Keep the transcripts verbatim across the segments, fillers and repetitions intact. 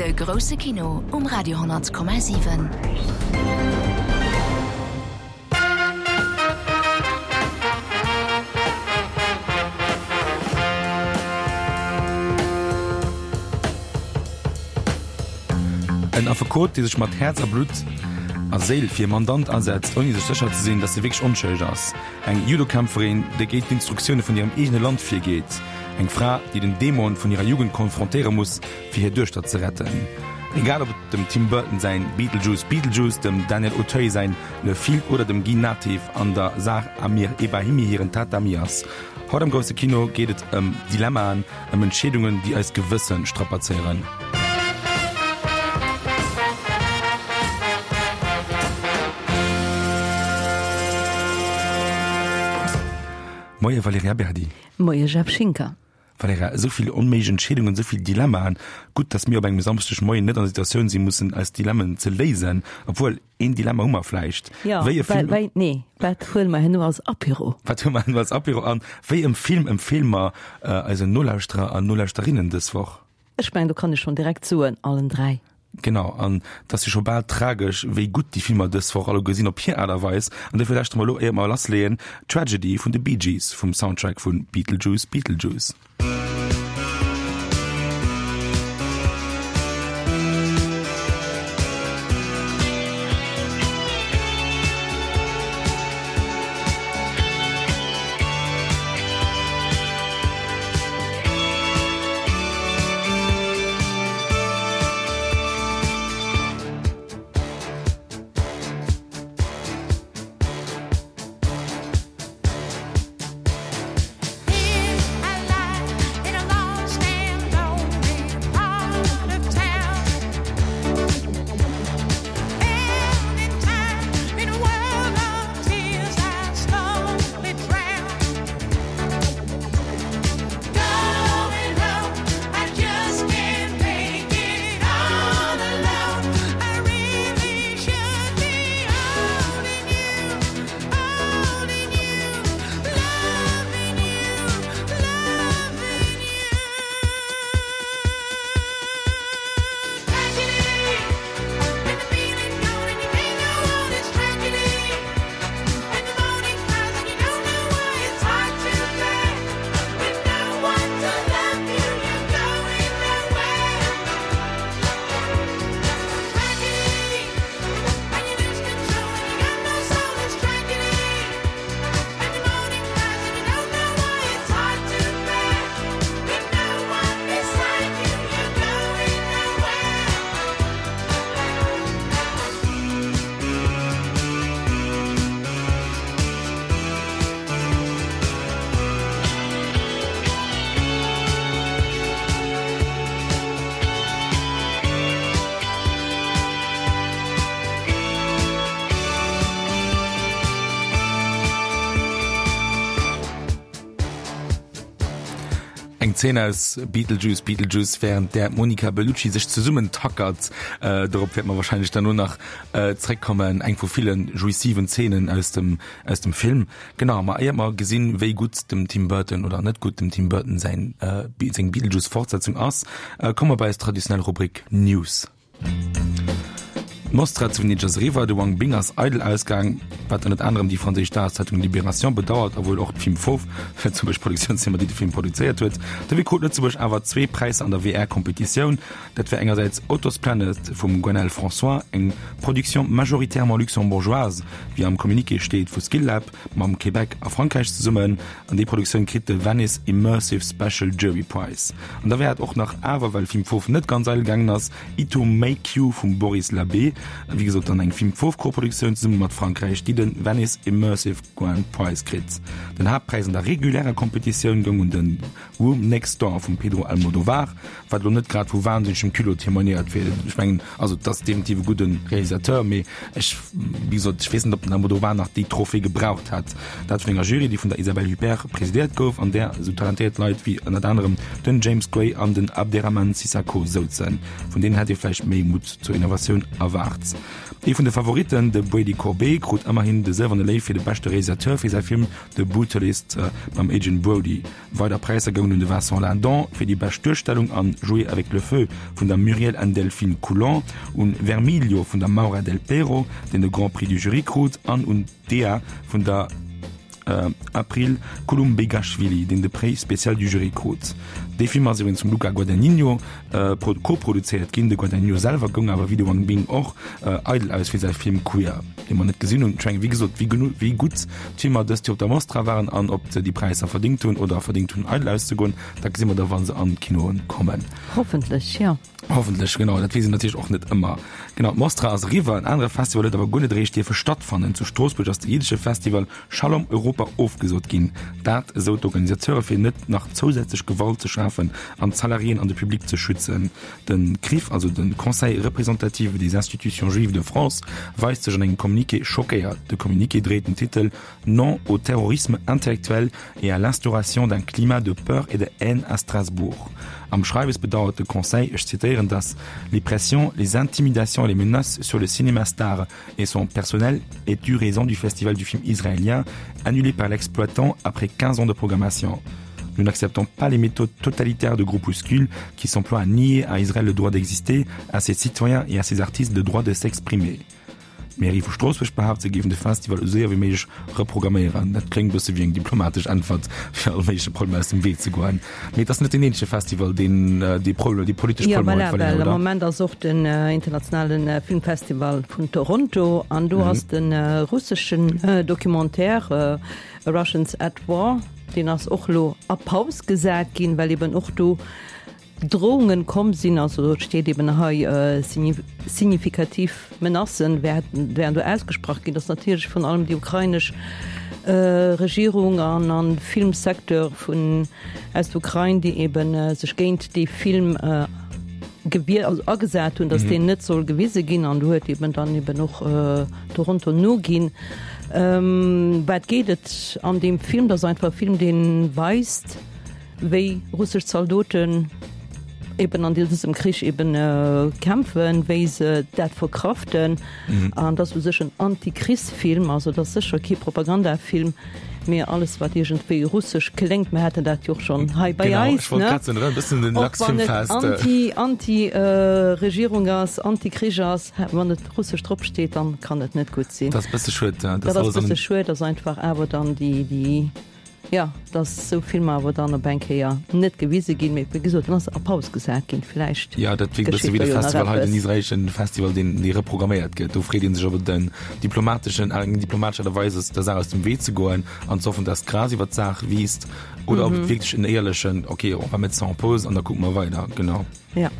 De grousse Kino um Radio honnert Komma siwen. En Affekot, dee sech mat Häerz a Blutt a Séil fir e Mandant asetzt, ouni sech sécher ze sinn, datt e wierklech onschëlleg ass. Eng Judokämpferin, déi géint d'Instruktioune vun hirem eegene Land virgeet. Eng Fra, déi den Dämon vun hirer Jugend konfrontéiere muss, fir hir Duechter ze retten. Egal ob et dem Tim Burton säin Beetlejuice Beetlejuice, dem Daniel Auteuil säin Le Fil oder dem Guy Nattiv an der Zar Amir Ebrahimi hiren Tatami ass. Haut am grousse Kino geet et ëm Dilemmaen, ëm Entscheedungen, déi eist Gewësse strapazéieren. Moie Valerija Berdi. Moie Jeff Schinker. Valerija, esou vill onméiglech Entscheedungen, esou vill Dilemmaen. Gutt, datt mir op engem Samschdegmoien net an der Situatioun sinn, mussen eis Dilemmen ze léisen. Obwuel, een Dilemma hu mer vläicht. Jo, Wéi e Film. Wei, nee, wat huele mer herno als Apéro? Wat huele mer herno als Apéro an wéi e Film empfeele mer eisen Nolauschterer an Nolauschterinnen dës Woch? Ech mengen, do kann ech schonn direkt soen, allen dräi. Genau, an et ass jo scho bal tragesch, wéi gutt déi Filmer dës Woch alleguer sinn, op hir Aart a Weis. An dofir lauschtere mer elo, éier mer lassleeën, Tragedy vun de Bee Gees vum Soundtrack vu Beetlejuice Beetlejuice. Eng Zeen aus Beetlejuice, Beetlejuice, wärend där d'Monica Bellucci sech zesummen tackert. Dorop wäerte mer warscheinlech dann elo nach zréckkommen. Eng vu ville jouissiven Zeenen aus dem, aus dem Film. Genau, ma éiert mer gesinn, wéi gutt dem Tim Burton oder net gutt dem Tim Burton säin, seng Beetlejuice-Fortsetzung ass, komme mer bei eis traditionell Rubrik News. D'Mostra zu Venedeg ass eriwwer, de Wang Bing ass eidel ausgaang, wat ënnert anerem déi franséisch Dageszeitung Libération bedauert a wuel och d'Film Fauve, lëtzebuergesch Produktiounsfirma, déi de Film produzéiert huet. Dofir krut Lëtzebuerg awer zwee Präisser an der V R-Kompetitioun. Dat war engersäits Otto's Planet vum Gwenaëlle François, eng Production majoritairement luxembourgeoise, wéi am Communiqué steet, vu Skillab mam Québec a Frankräich zesummen. An déi Produktioun kritt de Venice Immersive Special Jury Prize. An da war et och nach awer, well Film Fauve net ganz eidel gaangen ass, Ito Meikyu vum Boris Labbé, wéi gesot dann eng Film Fauve Koproduktioun zesumme mat Frankräich, déi de Venice Immersive Grand Prize kritt. Den Haaptpräis an der regulärer Kompetitioun goung un de Room Next Door vum Pedro Almodovar, wat elo net grad vu wahnsinnegem Culot témoignéiert fir, ech mengen, also et ass definitiv e gudde Realisateur, mee ech, wéi gesot, ech weess net, ob den Almodovar nach déi Trophée gebraucht hätt. Dat vun enger Jury, déi vun der Isabelle Huppert presidéiert gouf, an där esou talentéiert Leit wéi ënnert anerem den James Gray an den Abderrahmane Sissako souzen. Vun deenen hätt ee vläicht méi Mutt zur Innovatioun erwaart. erwaart. Ee vun de Favoritten, de Brady Corbet, krut ëmmerhin de Sëlwerne Léiw fir de beschte Realisateur fir säi Film The Brutalist mam Adrien Brody. Weider Präisser goungen un de Vincent Lindon fir déi bescht Duerstellung an Jouer avec le feu vun der Muriel Anne-Delphine Coulon, un Vermiglio vun der Maura Delpero, deen de Grand Prix du Jury krut, an un Dea vun der April Kulumbegashvili, deen de Prix spécial du Jury krut. Dee Film ass iwwregens vum Luca Guadagnino koproduzéiert ginn. De Guadagnino selwer goung awer, wéi de Wang Bing och, eidel aus fir säi Film Queer, dee mer net gesinn hunn. Ech mengen, wéi gesot, wéi gutt d'Filmer dëst Joer op der Mostra waren an ob se déi Präisser verdéngt hunn oder verdéngt hunn, eidel auszegoen, dat gesi mer da, wa se an d'Kinoen kommen. Hoffentlech, jo. Hoffentlech, genau. Dat weess een natierlech och net ëmmer. Genau, d'Mostra ass eriwwer. En anere Festival huet awer guer net eréischt dierfe stattfannen. Zu Stroossbuerg ass de jiddesche Festival Shalom Europa ofgesot ginn. Dat, esou d'Organisateure, fir net nach zousätzlech Gewalt ze schafen an d'Salariéen an de Public ze schützen. De CRIF, also de Conseil représentatif des institutions juives de France, weist sech an engem Communiqué schockéiert. De Communiqué dréit den Titel Non au terrorisme intellectuel et à l'instauration d'un climat de peur et de haine à Strasbourg. Am Schreiwes bedauert de Conseil, ech zitéieren, dass les pressions, les intimidations et les menaces sur le cinéma star et son personnel aient eu raison du festival du film israélien annulé par l'exploitant après quinze ans de programmation. Nous n'acceptons pas les méthodes totalitaires de groupuscules qui s'emploient à nier à Israël le droit d'exister, à ses citoyens et à ses artistes le droit de s'exprimer. D'Mairie vu Stroossbuerg behaapt, se géifen de Festival esou séier wéi méiglech reprogramméieren. Dat kléngt bësse wéi eng diplomatesch Äntwert, fir all méigleche Problemer aus dem Wee ze goen. Mee et ass net deen eenzege Festival, deen déi Problemer, déi politesch Jo, Problemer voilà, huet, Valerija, well am oder? Moment ass och den internationale Filmfestival vun Toronto an do ass de russeschen Documentaire Russians at War, deen ass och elo a Paus gesat ginn, well eben och do Drohungen komm sinn, also et steet eben hei signifikativ Menacen wären do ausgesprach ginn, dass natierlech virun allem déi ukrainesch Regierung an an Filmsecteur vun aus der Ukrain, déi eben sech géint dee Film gewier also agesat hunn, dass deen net soll gewise ginn an do huet eben dann eben och Toronto noginn. Wat geet et an deem Film? Dat ass einfach e Film, dee weist, wéi russesch Zaldoten eben an dësem Krich eben kämpfen, wéi se dat verkraften. An dat ass u sech en Anti-Krichsfilm, also dat ass sécher kee Propagandafilm, mee alles wat iergendwéi russesch kléngt, mir haten dat jo och schonn hei bei eis, ne, och wann et Anti, Anti-Regierung ass, Anti-Krich ass, wann et russesch drop steet, dann kann et net gutt sinn. Dat ass e bësse schued, dat ass e bësse schued, dass einfach awer dann déi, déi. Jo, dass esou Filmer awer dann op eng Kéier net gewise ginn, mee wéi gesot, en ass a Paus gesat ginn, vläicht Jo, dat wierkt e bësse geschitt wéi do de jo nach Festival hei, den eppes. israelesche Festival, deen, dee reprogramméiert gëtt. Do freet ee sech, ob et en diplomateschen, eng diplomatesch Aart a Weis ass, der Saach aus dem Wee ze goen an ze hoffen, dass d'Gras iwwer d'Saach wiisst, oder ob et wierklech en éierlechen, ok, on va mettre ça en pause an da kucke mer weider. Genau. Ja.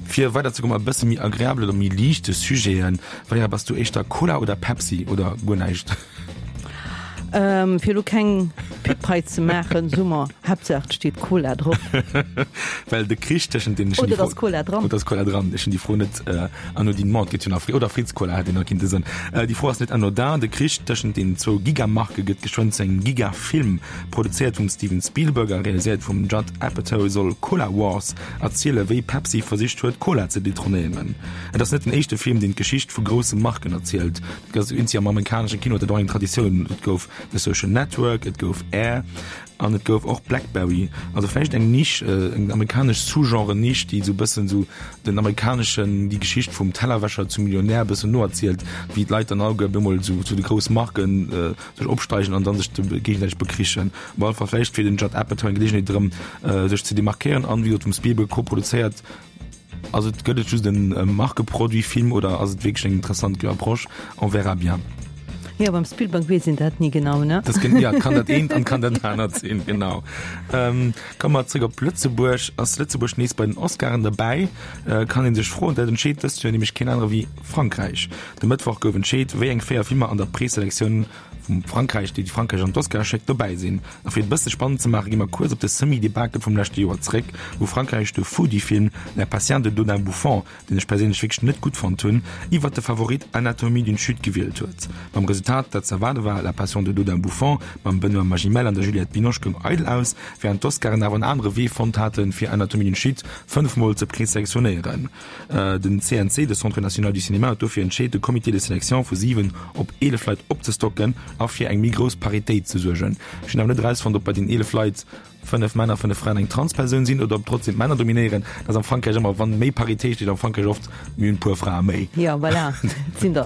Fir weider ze goen, e bësse méi agreabel oder méi liichte Sujeten, Valerija, bass du éischter Cola oder Pepsi oder guer näischt? Ähm, fir elo keng Pub hei ze maachen, soe mer, Haaptsaach et steet Cola drop. Well de Krich tëschent den, Oder et ass Cola dran. Oder ass Cola dran. Ech hunn déi Fro net äh, anodinement, et gëtt jo nach Fri oder Fritz Cola hätt een nach kinnte soen. Äh, déi Fro ass net anodin. De Krich tëschent den zwou Gigamarke gëtt geschwënn zu engem Gigafilm. Produzéiert vum Steven Spielberg a realiséiert vum Judd Apatow soll Cola Wars erziele wéi Pepsi versicht huet Cola ze detronéieren. Et ass net den éischte Film, deen d'Geschicht vu grousse Marken erzielt. Dat ass eenzi am amerikanesche Kino huet dat och eng Traditioun. Et gouf The Social Network, et gouf Air an et gouf och Blackberry. Also vläicht eng Nisch, eng amerikanesch Sous-Genre-Nisch, déi esou e bëssen esou den amerikaneschen, déi Geschicht vum Tellerwäscher zum Millionär e bëssen noerzielt, wéi d'Leit dann alleguer op eemol esou zu de grousse Marken sech opsteigen an dann sech géigesäiteg bekrichen. Op alle Fall vläicht fir den Judd Apatow eng Geleegenheet erëm sech ze demarkéieren an, wéi gesot, vum Spielberg koproduzéiert. Ass et, gëtt et just en Markeproduit-Film oder ass et wierklech eng interessant Approche? On verra bien. Jo, beim Spielberg weess een dat ni genau, ne? Das gen, ja, kann dat eent an kann dat anert sinn, genau. Ähm, komme mer zréck op Lëtzebuerg. Ass Lëtzebuerg nees bei den Oscaren derbäi? Äh, kann ee sech froen. Dat entscheet dëst Joer nämlech keen anere wéi Frankräich. De Mëttwoch gouf entscheet, wéi eng véier Filmer an der Preselektioun vum Frankräich, déi Frankräich an d'Oscare schéckt, dobäi sinn. A fir et e bësse spannend ze maachen, gi mer kuerz op de Semi-Debakel vum leschte Joer zréck, wou Frankräich de Foodie-Film La Passion de Dodin Bouffant, deen ech perséinlech wierklech net gutt fonnt hunn, iwwert de Favorit Anatomie d'une chute gewielt huet. Mam Resultat Resultat, dat ze erwaarde war, La Passion de Dodin Bouffant mam Benoît Magimel an der Juliette Binoche goung eidel aus, wärend d'Oscaren awer en anere Wee fonnt haten, fir Anatomie d'une chute fënnef Mol ze preselektionéieren. Den C N C, de Centre national du cinéma, huet dofir entscheet, de Comité de sélection vu siwen op eelef Leit opzestocken a fir eng méi grouss Paritéit ze suergen. Ech hunn awer net erausfonnt, ob bei den eelef Leit fënnef Männer, fënnef Fraen, eng Transpersoun sinn oder ob trotzdem d'Männer dominéieren. Dat ass am Frankräich ëmmer, wann méi Paritéit steet am Frankräich oft, mir hunn e puer Frae méi. Jo, voilà, et sinn der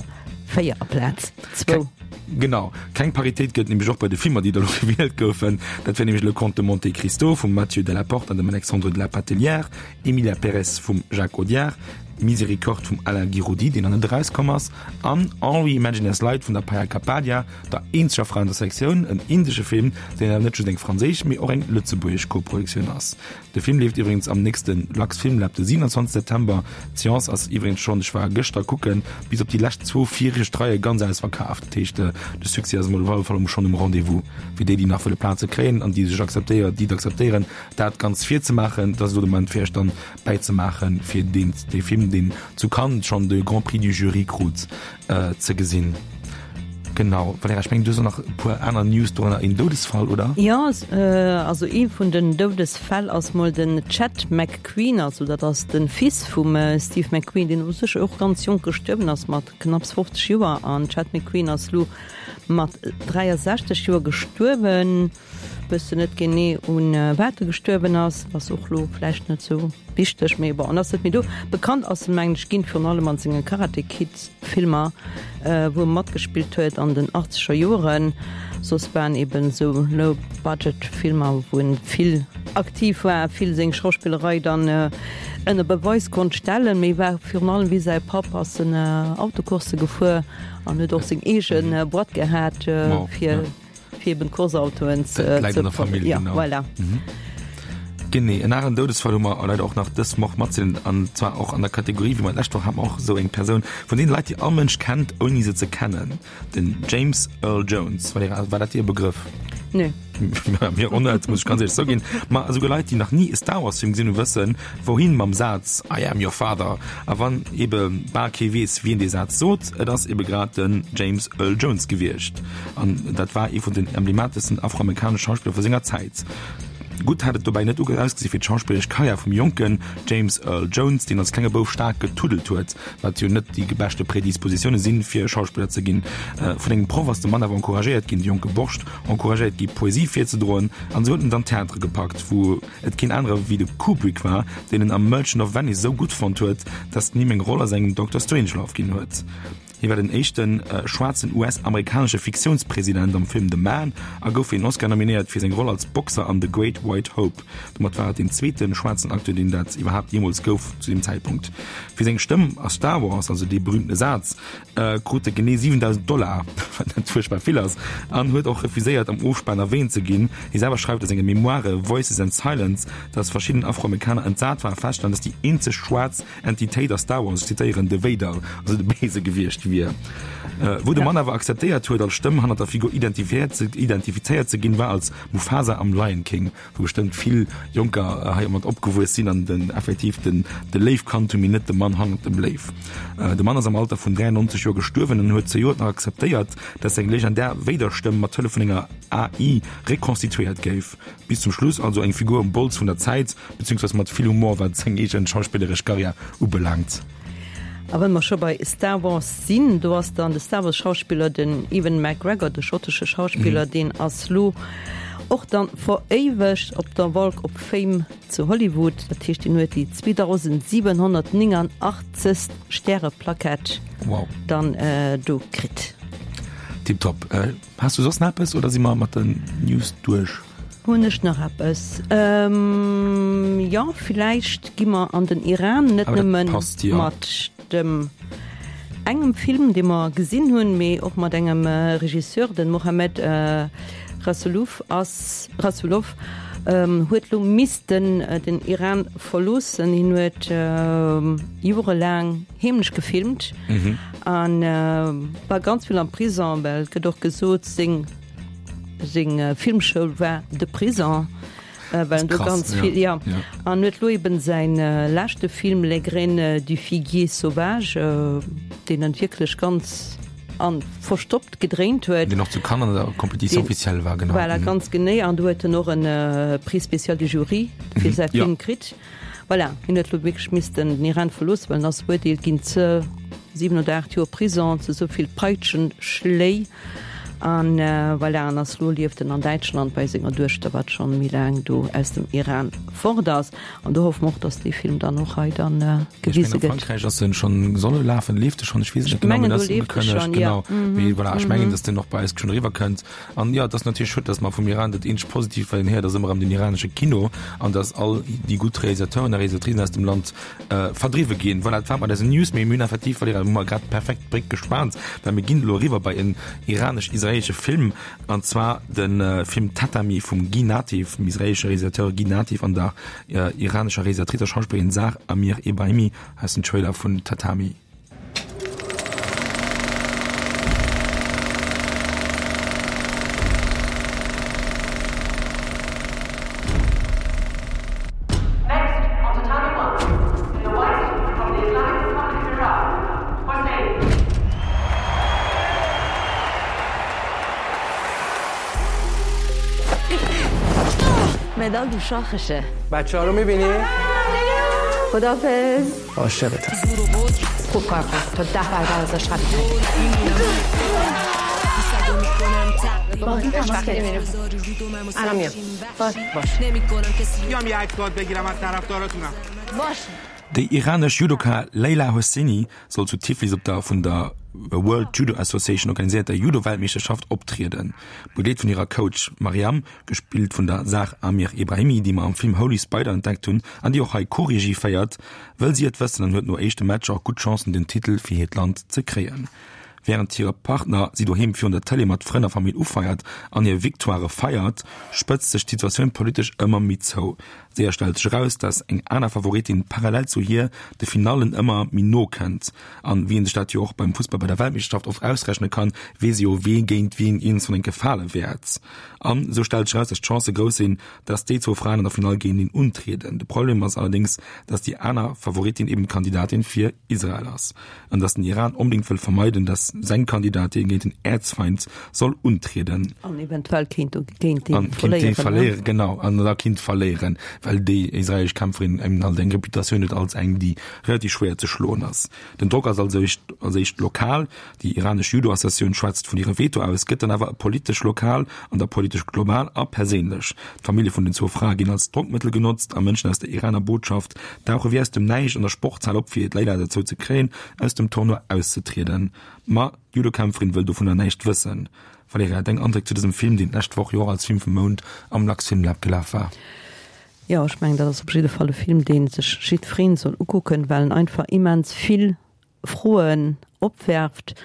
véier aplaz zwou. Genau, keng Paritéit gëtt nämlech och bei de Filmer, déi da lo gewielt goufen. Dat wär nämlech Le Comte de Monte-Cristo vum Mathieu Delaporte an dem Alexandre de la Patellière, Emilia Pérez vum Jacques Audiard, Miséricorde vum Alain Guiraudie, deen nach net erauskomm ass, an All We Imagine As Light vun der Payal Kapadia, der eenzeger Fra an der Sektioun, en indesche Film, deen awer net just eng franséisch, mee och eng lëtzebuergesch Koproduktioun ass. De Film leeft iwwregens am nächste LuxFilmLab de siewenundzwanzeg September. D'Seance ass iwwregens schonn, ech war gëschter kucken, bis op déi lescht zwou viregt Reie ganz ausverkaaft. Dat heescht, de Succès ass emol op alle Fall schonn um Rendez-vous. Fir déi, déi nach wëlle Plaze kréien an déi sech akzeptéieren, déi et akzeptéieren, dat Ganzt virzemaachen, dat ass elo de Moment fir iech dann bäizemaachen, fir deen, dee Film, deen zu Cannes schonn de Grand Prix du Jury krut, ze gesinn. Genau, Valerija, ech mengen, du hues och nach e puer aner News, dorënner een Doudesfall, oder? Jo, also ee vun den Doudesfäll ass mol den Chad McQueen, also dat ass de Fils vum Steve McQueen, deen u sech och ganz jonk gestuerwen ass, mat knapps fofzeg Joer. An Chad McQueen ass lo mat dräiasechzeg Joer gestuerwen. Wëssen net genee un wat e gestuerwen ass, ass och lo vläicht net sou wichteg, mee bon, en ass net méi do. Bekannt ass en mengen ech ginn virun allem an senge Karate Kid Filmer, wou e matgespillt huet an den achtzeger Joeren. Soss waren eben sou low budget Filmer wou en vill aktiv war, vill seng Schauspillerei dann ënner Beweis konnt stellen, mee war virun allem wéi säi Papp ass en Autocoursse gefuer an huet och seng eege Boîte gehat fir Fir eben Course-Autoen ze. Dat läit an der Famill, ja, genau. Voilà. Mhm. Genee, en aneren Doudesfall hu mer leider och nach dës Woch matzedeelen, an zwar och an der Kategorie, wéi mer d'lescht Woch haten, och esou eng Persoun vun deene Leit, déi all Mënsch kennt, ouni se ze kennen, den James Earl Jones. Valerija, war dat dir e Begrëff? Nö. Mir och net, muss ech ganz éierlech zouginn. Ma esouguer Leit, déi nach ni e Star Wars Film gesinn hunn, wëssen, wouhin mam Saz I am your father. A wann ebe bal kee weess, wien dee Saz sot, et ass ebe grad den James Earl Jones gewiescht. An dat war ee vun den emblemateschsten afroamerikanesche Schauspiller vu senger Zäit. Gutt hat et dobäi net ausgesi fir d'schauspilleresch Karriär vum jonken James Earl Jones, deen als klenge Bouf staark getuddelt huet, wat jo net déi beschte Predispositioune sinn, fir Schauspiller ze ginn. Vun engem Proff ass de Mann awer encouragéiert ginn, de jonke Borscht encouragéiert gi Poesie virzedroen, an esou huet en dann Theatere gepackt, wou et keen anere wéi de Kubrick war, deen en am Merchant of Venice esou gutt fonnt huet, datt en him eng Roll a sengem Doctor Strangelove ginn huet. Hie war den éischte schwaarzen U S-amerikanesche Fiktiounspresident am Film The Man a gouf fir een Oscar nominéiert fir seng Roll als Boxer an The Great White Hope. Domat war et deen zweete schwaarzen Acteur, deen dat iwwerhaapt jeemools gouf zu deem Zäitpunkt. Fir seng Stëmm a Star Wars, also dee berüümtene Saz, krut e genee siwendausend Dollar, wat net fuerchtbar vill ass, an huet och refuséiert, am Ofspan erwäänt ze ginn. Hie selwer schreift a senge Memoiren Voices and Silence, datt verschidden Afroamerikaner entsat waren, feststellen, datt déi eenzeg schwaarz Entitéit a Star Wars, ech zitéieren, de Vader, also de Béise gewiescht wier. Wou de Mann awer akzeptéiert huet, als Stëmm hannert der Figur identifizéiert ze ginn, war als Mufasa am Lion King, wou bestëmmt vill Jonker heimat opgewuess sinn an den effektiv den de Léiw kannt hunn, mee net de Mann hannert dem Léiw. De Mann ass am Alter vun dräiannonzeg Joer gestuerwen an huet zejoert nach akzeptéiert, dass seng legendär Vader-Stëmm mat Hëllef vun enger A I rekonstituéiert géif. Bis zum Schluss also eng Figur um Bols vun der Zäit, beziehungsweise mat vill Humor, wat seng eegen schauspilleresch Karriär ubelaangt. A well mer scho bei Star Wars sinn, do ass dann de Star Wars Schauspiller, den Ewan McGregor, de schottesche Schauspiller, deen ass lo och dann veréiwegt op der Walk of Fame zu Hollywood. Dat heescht, deen huet déi zweedausendsiwenhonnertnénganachtzegst Stäreplackett dann do kritt. Tiptop. Has du soss nach eppes oder si mer mat den News duerch? Hunn ech nach eppes? Jo, villäicht gi mer an den Iran, net nëmme mat dem engem Film, dee mer gesinn hunn, mee och mat engem Regisseur, den Mohammad Rasoulof ass, Rasoulof huet lo missten den Iran verloossen. Hien huet jorelaang heemlech gefilmt an war ganz vill am Prison, well et gëtt och gesot, seng seng Filmschoul war de Prison, well en do ganz vill, jo, an huet lo eben säin leschte Film Les graines du figuier sauvage, deen en wierklech ganz an verstoppt gedréint huet. Deen och zu Cannes an der Compétition officielle war, genau. Voilà, ganz genee. An do huet en och en Prix spécial du Jury fir säi Film kritt. Voilà, hien huet elo wierklech missten den Iran verloossen, well en ass verurteelt ginn ze siwen oder aacht Joer Prison, ze esou vill Peitschenschléi. An voilà, an ass elo lieft en an Däitschland bei senger Duechter, wat schonn méi laang do aus dem Iran fort ass. An do hoffe mer och, dass dee Film dann och hei dann gewise gëtt. Ech mengen a Frankräich ass en schonn, soll e lafen, leeft e schonn, ech weess et net genau, mee ass ugekënnegt, genau. Mee voilà, ech mengen, dass deen och bei eis schonn eriwwer kënnt. An jo, et ass natierlech schued, dass mer vum Iran, dat eenzegt Positiivt wat een héiert, ass ëmmer erëm den iranesche Kino an dass all déi gutt Realisateuren a Realisatricen aus dem Land verdriwwe ginn. Voilà, dat war mat eisen News. Mee mir hunn effektiv, Valerija, hu mer grad perfekt d'Bréck gespaant, well mir ginn elo eriwwer bei en iranesch-israeelesche Film, an zwar de Film Tatami vum Guy Nattiv, dem israeelesche Realisateur Guy Nattiv an der iranescher Realisatrice a Schauspillerin Zar Amir Ebrahimi aus dem Trailer vun Tatami. مدال رو شاخشه بچه ها رو میبینی؟ خدافظ عاشقتم خوب کار کن تا ده برابر ازش قوی الان میام باش باش بیام یه عکس باهات بگیرم از طرفداراتونم باش Déi iranesch Judoka Leila Hosseini soll zu Tiflis op der vun der World Judo Association organiséierter Judo-Weltmeeschterschaft optrieden. Begleet vun hirer Coach Mariam, gespillt vun der Zar Amir Ebrahimi, déi mer am Film Holy Spider entdeckt hunn an déi och hei Co-Regie féiert, wëll si et wëssen an huet no éischte Matcher och gutt Chancen den Titel fir hiert Land ze kréien. Wärend hire Partner si doheem virun der Tëlee mat Frënn a Famill ufeiert an hir Victoirë feiert, spëtzt sech d'Situatioun politesch ëmmer méi zou. Séier stellt sech eraus, dass eng aner Favoritin parallel zu hir de Finallen ëmmer méi no kënnt. An wéi een sech dat jo och beim Fussball bei der Weltmeeschterschaft oft ausrechne kann, weess ee jo, wee géint wien eens wann enke fale wäert. An esou stellt sech eraus, dass d'Chancë grouss sinn, dass déi zwou Fraen an der Finall géinteneen untrieden. De Problem ass allerdéngs, dass déi aner Favoritin eben d'Kandidatin fir Israel ass an dass den Iran onbedéngt wëll vermeiden, dass seng Kandidatin géint den Äerzfeind soll untrieden. An eventuell kéint géint dee An kéint dee verléieren, ne? verléieren, genau, an da kéint verléieren, well déi israelesch Kämpferin eben halt eng Reputatioun huet als eng, déi relativ schwéier ze schloen ass. Den Drock ass also éischt als éischt lokal, déi iranesch Judo-Associatioun schwätzt vun hirem Veto aus, gëtt dann awer politesch lokal an da politesch global a perséinlech. D'Famillje vun den zwou Frae ginn als Drockmëttel genotzt a Mënschen aus der Iraner Botschaft dauche wéi aus dem Näischt an der Sportshal op, fir d'Leila dozou ze kréien, aus dem Tournoi auszetrieden. Ma d'Judokämpferin wëll dovunner näischt wëssen. Valerija, deng Andréck zu dësem Film, deen d'lescht Woch jo och als Film vum Mount am LuxFilmLab gelaf war? Jo, ech mengen, dat ass op jidde Fall e Film, dee sech jiddwereen soll ukucken, well en einfach immens vill Froen opwerft,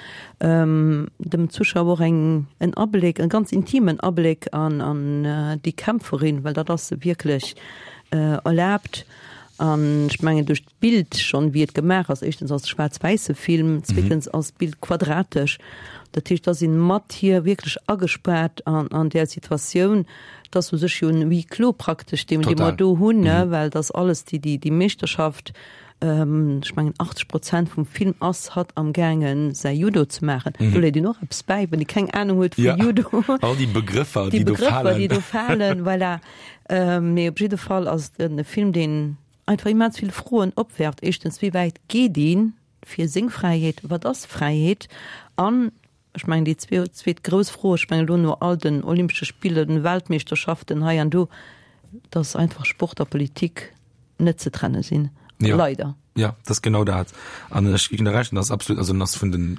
dem Zuschauer och eng en Abléck, e ganz intimen Abléck an an déi Kämpferin, well dat ass se wierklech, erlaabt. An ech mengen duerch d'Bild schonn, wéi et gemaach ass, éischtens ass et e schwaarz-wäisse Film, zweetens ass d'Bild quadratesch, dat heescht, da sinn mat hir wierklech agespaart an an där Situatioun. Et ass u sech jo en Huis clos praktesch, dee mer do hunn, ne, well et ass alles déi déi déi Meeschterschaft. Ech mengen achtzeg Prozent vum Film ass hatt am gaangen säi Judo ze maachen. Do léit een och eppes bäi, wann ee keng Anung huet vu Judo. All déi Begrëffer, déi do falen. Déi Begrëffer, déi do falen, voilà. Mee op jidde Fall ass et e Film, deen einfach immens vill Froen opwerft. Éischtens, wéi wäit geet ee fir seng Fräiheet? Wat ass Fräiheet? An ech mengen déi zweet grouss Fro, ech mengen elo no all den Olympesche Spiller, den Weltmeeschterschaften hei an do, dass einfach Sport a Politik net ze trenne sinn. Ja. Leider. Ja, dat ass genau dat. An ech ginn der Recht, dat ass absolut, also ass vun den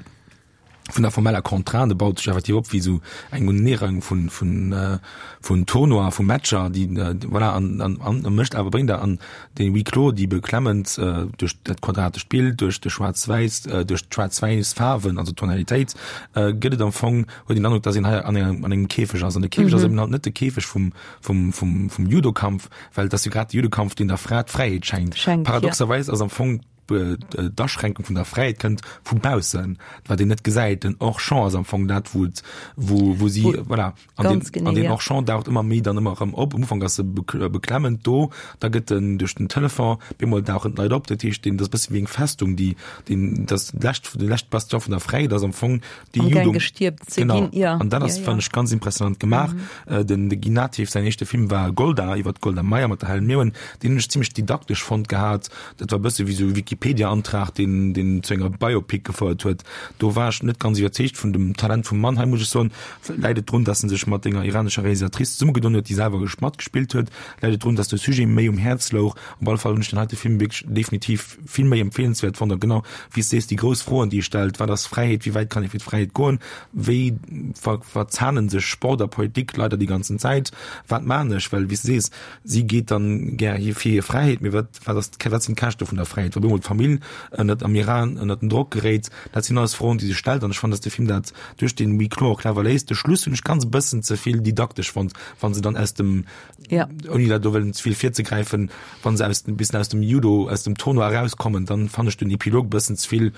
vun der formeller Contrainte baut sech effektiv op wéi esou eng Unereihung vun vun äh, vun Tournoien, vu Matcher, déi äh, voilà, an, an, an mécht awer bréngt der an den Huis clos, déi beklemmend äh, duerch dat quadratescht Bild, duerch de schwaarz-wäiss, äh, duerch d'schwaarz-wäiss Faarwen, also d'Tonalitéit, äh, gëtt et am Fong, huet een den Androck, dass een hei an engem, an engem Käfeg ass. An de Käfeg ass eben halt net de Käfeg vum, vum, vum, vum Judokampf, well et ass jo grad de Judokampf, deen der Fra d'Fräiheet schenkt. Schenkt, ja. Paradoxerweis ass am Fong d'Aschränkung vun der Fräiheet kënnt vu baussen, wat een net gesäit. Den Hors-champ ass am Fong dat, wou et, wou, wou si, voilà. An den, Ganz genee, an den ja. Hors-champ daucht ëmmer méi dann ëmmer erëm op. Am Ufank ass e beklemmend do, da gëtt en duerch den Telefon, bemol dauchen d'Leit op. Dat heescht, deen, dat ass e bësse wéi eng Festung, déi, deen, dat lescht, de leschte Bastion vun der Fräiheet ass am Fong déi Am Gaang Judo. gestierkt ze Genau. ginn, ja. An dat ass, Ja, ja. fannen ech, ganz impressionant gemaach. Mhm. Den, de Guy Nattiv säin éischte Film war Golda, iwwer d'Golda Meir mat der Helen Mirren. Deen hunn ech zimmlech didaktesch fonnt gehat. Dat war e bësse wéi esou e Wikipedia-Antrag, deen, deen zu enger Biopic gefouert huet. Do war ech net ganz iwwerzeegt vun dem Talent vum Mann. Hei muss ech soen, läit et drun, dass en sech mat enger iranescher Realisatrice zesummegedonn huet, déi selwer matgespillt huet, läit et drun, dass de Sujet méi um Häerz louch. Op alle Fall hunn ech den heite Film wierklech definitiv vill méi empfeelenswäert fonnt. A genau wéi s de sees, déi grouss Froen, déi e stellt, Wat ass Fräiheet? Wéi wäit kann ee fir d'Fräiheet goen? Wéi ver verzahnen sech Sport a Politik leider déi ganzen Zäit? Wat maan ech? Well wéi s de sees, si geet dann gär hi fir hir Fräiheet, mee wat, wat ass, wat sinn d'Käschte vun der Fräiheet, wa bemol d'Famill ënnert am Iran ënnert den Drock geréit? Dat sinn alles Froen, déi sech stellt an ech fannen, dass de Film dat duerch den Huis clos och clever léist. De Schluss hunn ech ganz e bëssen ze vill didaktesch fonnt, wa se dann aus dem, Ja. ouni dat do wëllen ze vill virzegräifen, wa se aus, e bëssen aus dem Judo, aus dem Tournoi erauskommen, dann fannen ech den Epilog e bëssen ze vill,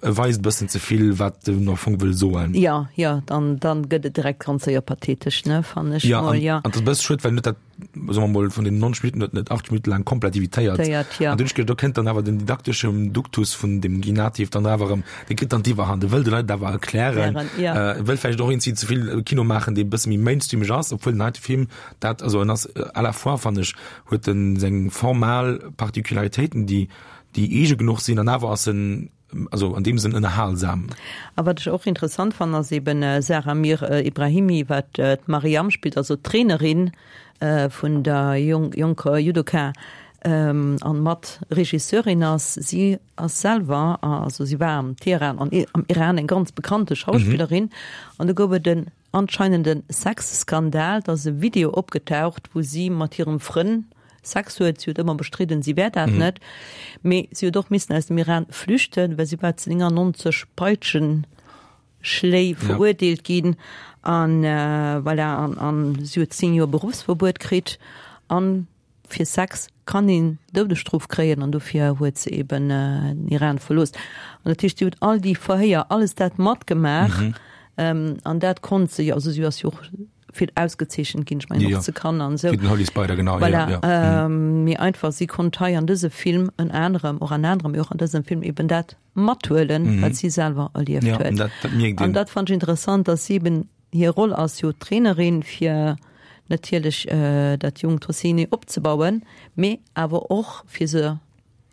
e weist e bëssen ze vill, wat en am Fong wëll soen. Ja, ja, dann, dann gëtt et direkt ganz séier pathetesch, ne, fannen ech Ja, mol, an, ja. an dat ass e bësse schued, well net dat, soe mer mol, vun den neunzeg Minutten huet net achtzeg Minutte laang komplett evitéiert. Téiert, ja. An dunn ech geduecht, do kënnt dann awer den didakteschen Duktus vun dem Guy Nattiv dann awer erëm, dee kritt dann d'Iwwerhand, e wëll de Leit awer erklären, Erklären, ja. äh, wëll vläicht och eenzi ze vill Kino maachen, dee e bësse méi mainstreameg ass, obwuel den heite Film dat, also en ass à la fois, fannen ech, huet en seng formal Particularitéiten, déi, déi eege genuch sinn, an awer ass en, also an deem Sënn ënnerhalsam. A wat ech och interessant fannen, ass eben Sarah Mir Ibrahimi, wat d'Mariam spillt, also d'Trainerin vun der jonker Judoka an mat Regisseurin ass. Si ass selwer, also si war am Teheran an am Iran eng ganz bekannte Schauspillerin an do gouf et en anscheinenden Sexskandal, da ass e Video opgetaucht, wou si mat hirem Frënn Sex huet. Si huet ëmmer bestridden, si wär dat net, mee si huet och missen aus dem Iran flüchten, well si war zu neunundneunzeg Peitschenschléi verurteelt ginn an voilà, an an si huet zéng Joer Beruffsverbuet kritt an fir Sex kann een Doudesstrof kréien an dofir huet se eben den Iran verlooss. An dat heescht, si huet all déi Verhéier, alles dat matgemaach an dat konnt se jo, also si ass jo och vill ausgezeechent ginn, ech mengen och ze Cannes an esou. Fir den Holy Spider, genau. Voilà, ja, ja. ähm, mee einfach si konnt hei an dëse Film ënner anerem, och an anerem, mee och an dësem Film eben dat mathuelen, mm -hmm. wat si selwer erlieft ja, huet. Dat, dat mierkt An een. dat fand ech interessant, dass si eben hir Roll ass jo Trainerin fir natierlech äh, dat jungt Hosseini opzebauen, mee awer och fir se,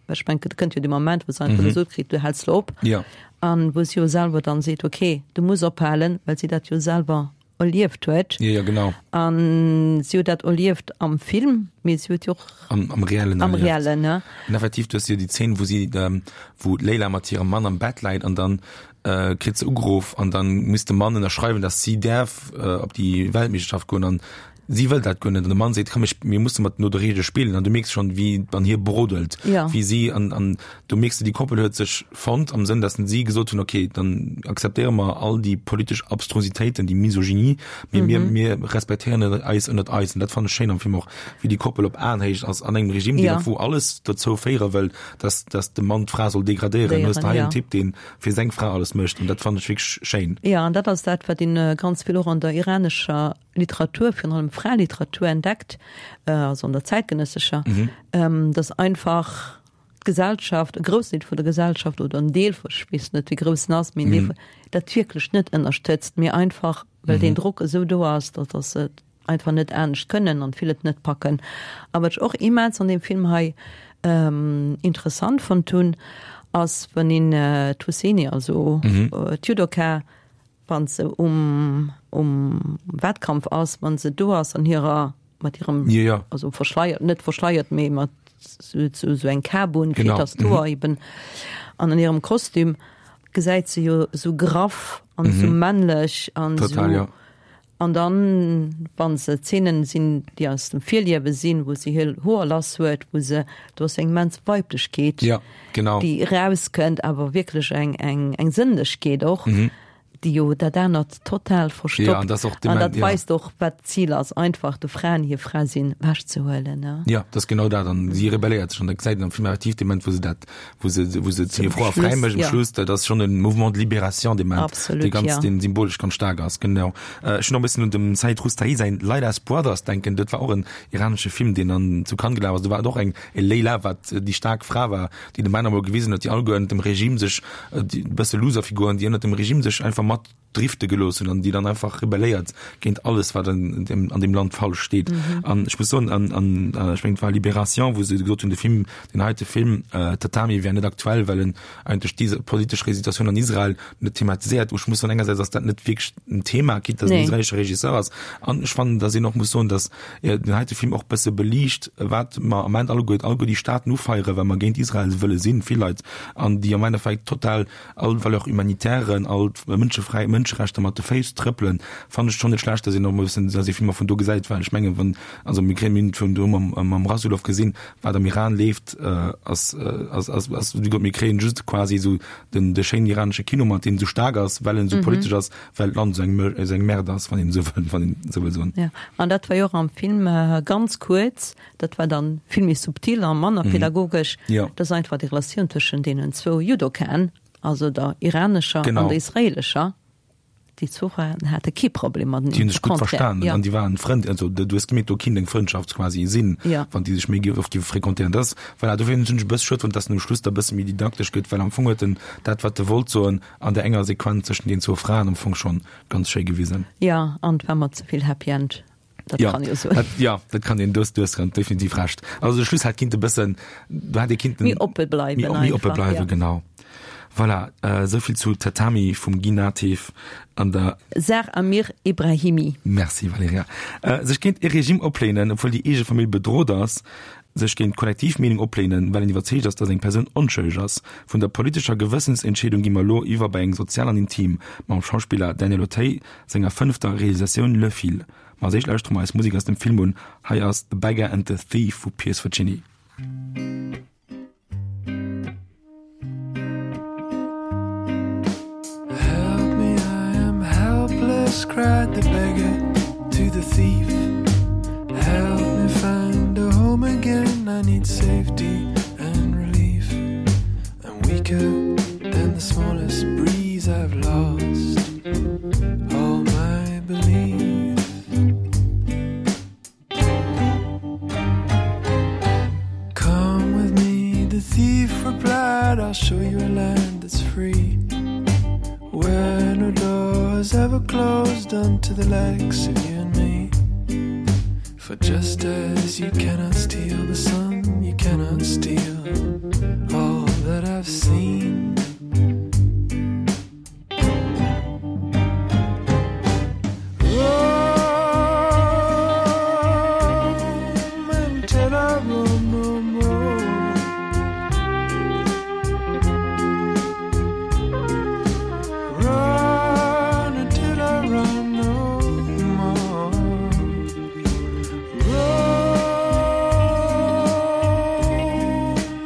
well ech mengen, et kënnt jo de Moment, wou se einfach gesot kritt, du häls lo op. Ja. An wou si jo selwer dann seet, okay, du muss ophalen, well si dat jo selwer erlieft huet. Ja, ja, genau. An si huet dat erlieft am Film, mee si huet jo och Am, am reellen am erlieft. reellen, ne? An effektiv, du hues jo déi Zeen, wou si, ähm, wou d'Leila mat hirem Mann am Bett läit an dann äh, kritt se ugeruff an dann muss de Mann ënnerschreiwen, dass si däerf äh, op déi Weltmeeschterschaft goen an si wëll dat guer net an de Mann seet, komm, ech, mir musse mat no de Reegele spillen an du mierks schonn, wéi an hir brodelt, Ja. wéi si an, an du mierks, déi Koppel huet sech fonnt am Sënn, dass si gesot hunn, okay, dann akzeptéiere mer all déi politesch Abstrusitéiten, déi Misogynie, mee mir, mir respektéieren eis ënnert eis an dat fannen ech schéin am Film och, wéi déi Koppel op Aenhéicht ass an engem Regime, deen Ja. wou alles dozou féiere wëll, dass, dass de Mann d'Fra soll degradéieren. Du hues Déieren, hei ja. en Typ, deen fir seng Fra alles mécht an dat fannen ech wierklech schéin. Ja, an dat ass dat, wat een ganz vill och an der iranescher Literatur, virun allem Fraeliteratur entdeckt, also an der zäitgenëssescher, mhm. dass einfach d'Gesellschaft, e groussen Deel vun der Gesellschaft oder en Deel vu, ech weess net wéi grouss en ass, mee en Deel mhm. dat wierklech net ënnerstëtzt, mee einfach well mhm. den Drock esou do ass, dass dass se einfach net anescht kënnen an vill et net packen. A wat ech och immens an dem Film hei ähm, interessant fonnt hunn, ass wann een äh, d'Hosseini, also mhm. äh, d'Judoka, wann se um um Wettkampf ass, wann se do ass an hirer mat hirem ja, ja. also verschleiert net verschleiert mee mat sou, sou, sou eng Kap un fir Genau. dass d'Hoer mhm. eben an an hirem Kostüm gesäit se jo sou graff an mhm. sou männlech an Total, sou ja. an dann wann se Zeenen sinn déi aus dem Virliewe sinn, wou se hir Hoer lass huet, wou se do ass eng immens Weiblechkeet Ja, genau. déi rauskënnt, awer wierklech eng eng eng Sënnlechkeet och. Mhm. déi jo dat anert total verstoppt. Ja, an dat ass och An dat ja. weist och, wat d'Zil ass, einfach de Fraen hir Fra sinn ewechzehuelen, ne? Ja, dat ass genau dat. An si rebelléiert sech an da gesäit een am Film effektiv dee Moment, wou se dat, wou se, wou se hir Fra fräi mécht um ja. Schluss, dat ass schonn e Mouvement de libération dee Moment, Absolut, dee ganz, ja. dee symbolesch ganz staark ass, genau. Ech hunn och e bëssen un dem Said Roustayi säin Leila's Brothers denken, dat war och en iranesche Film, deen an zu Cannes gelaf ass. Do war et och eng e Leila, wat déi staark Fra war, déi de Männer emol gewisen huet, déi alleguer ënnert dem Regime sech, déi e bësse Loser-Figuren, déi ënnert dem Regime sech einfach mat drifte gelooss hunn an déi dann einfach rebelléiert géint alles, wat an deem, an deem Land falsch steet. An ech muss soen, an, an ech mengen, et war Libération, wou se gesot hunn, de Film, deen heite Film, Tatami, wär net aktuell, well en eigentlech déi politesch Situatioun an Israel net thematiséiert. Ech muss soen, engersäits ass dat net wierklech en Thema, quitte dass en israelesche Regisseur ass. An ech fannen, dass een och muss soen, dass den heite Film och bësse beliicht, wat mer am Ament alleguer, alleguer déi Staaten ufeieren, well mer géint Israel wëlle sinn, vill Leit, an déi am Endeffekt total all Valeurs humanitairen, all mënschefräi Mënscherechter mat de Féiss trëppelen, fannen ech schonn net schlecht, dass een och emol e bëssen, dass ee Filmer vun do gesäit, well ech mengen, wann, also mir kréien, mir hunn vun do mam, mam Rasoulof gesinn, wat am Iran leeft, ass, ass, ass, ass, wéi gesot, mir kréien just quasi esou den, de schéinen iranesche Kino mat, deen esou staark ass, well en esou politesch ass, well d'Land esou eng, esou eng Merde ass, wann een esou wëll, wann een esou wëll soen. Ja, an dat war jo och am Film ganz kuerz, dat war dann vill méi subtil a manner pädagogesch, Ja. dass einfach déi Relatioun tëschent deenen zwou Judokaen, also der iranescher Genau. an der israelescher, déi zwou Fraen hate kee Problem mateneen, Déi hunn sech au gutt contraire, verstanen ja. an déi waren Frënd, also du hues gemierkt, do kinnt eng Frëndschaft quasi sinn, Ja. wann déi sech méi oft géife fréquentéieren. Dat ass, voilà, dofir hunn ech e bësse schued fonnt, dass en um Schluss da e bësse méi didaktesch gëtt, well am Fong huet en dat, wat e wollt soen, an der enger Sequenz zwëschen den zwou Fraen am Fong schonn ganz schéi gewisen. Ja, an et war mer ze vill Happy End. Dat Ja, kann jo soen. dat, ja, dat kann een, du hues, du hues definitiv Recht. Also de Schluss hätt kinnt e bëssen, do hätt ee kinnten Méi oppe bleiwen méi, méi oppe einfach, bleiwen, ja. genau. Voilà, äh, souvill zu Tatami vum Guy Nattiv an der Zar Amir Ebrahimi. Merci Valerija. Äh, sech géint e Regime opléinen, obwuel déi eege Famill bedrot ass, sech géint d'Kollektivmeenung opléinen, well een iwwerzeegt ass, datt eng Persoun onschëlleg ass. Vun der politescher Gewëssensentscheedung gi mer elo iwwer bei eng sozial an intim, mam Schauspiller Daniel Auteuil senger fënnefter Realisatioun Le Fil. Ma als éischt lauschtere mer eis Musek aus dem Film un. Hei ass The Beggar and the Thief vu Piers Faccini. Help me, I am helpless, cried the beggar to the thief. Help me find a home again, I need safety and relief. I'm weaker than the smallest breeze, I've lost all my belief. Come with me, the thief replied, I'll show you a land that's free. Where no door is ever closed unto the likes of you and me. For just as you cannot steal the sun, you cannot steal all that I've seen. Roam until I roam no more. Run until I run no more. Roam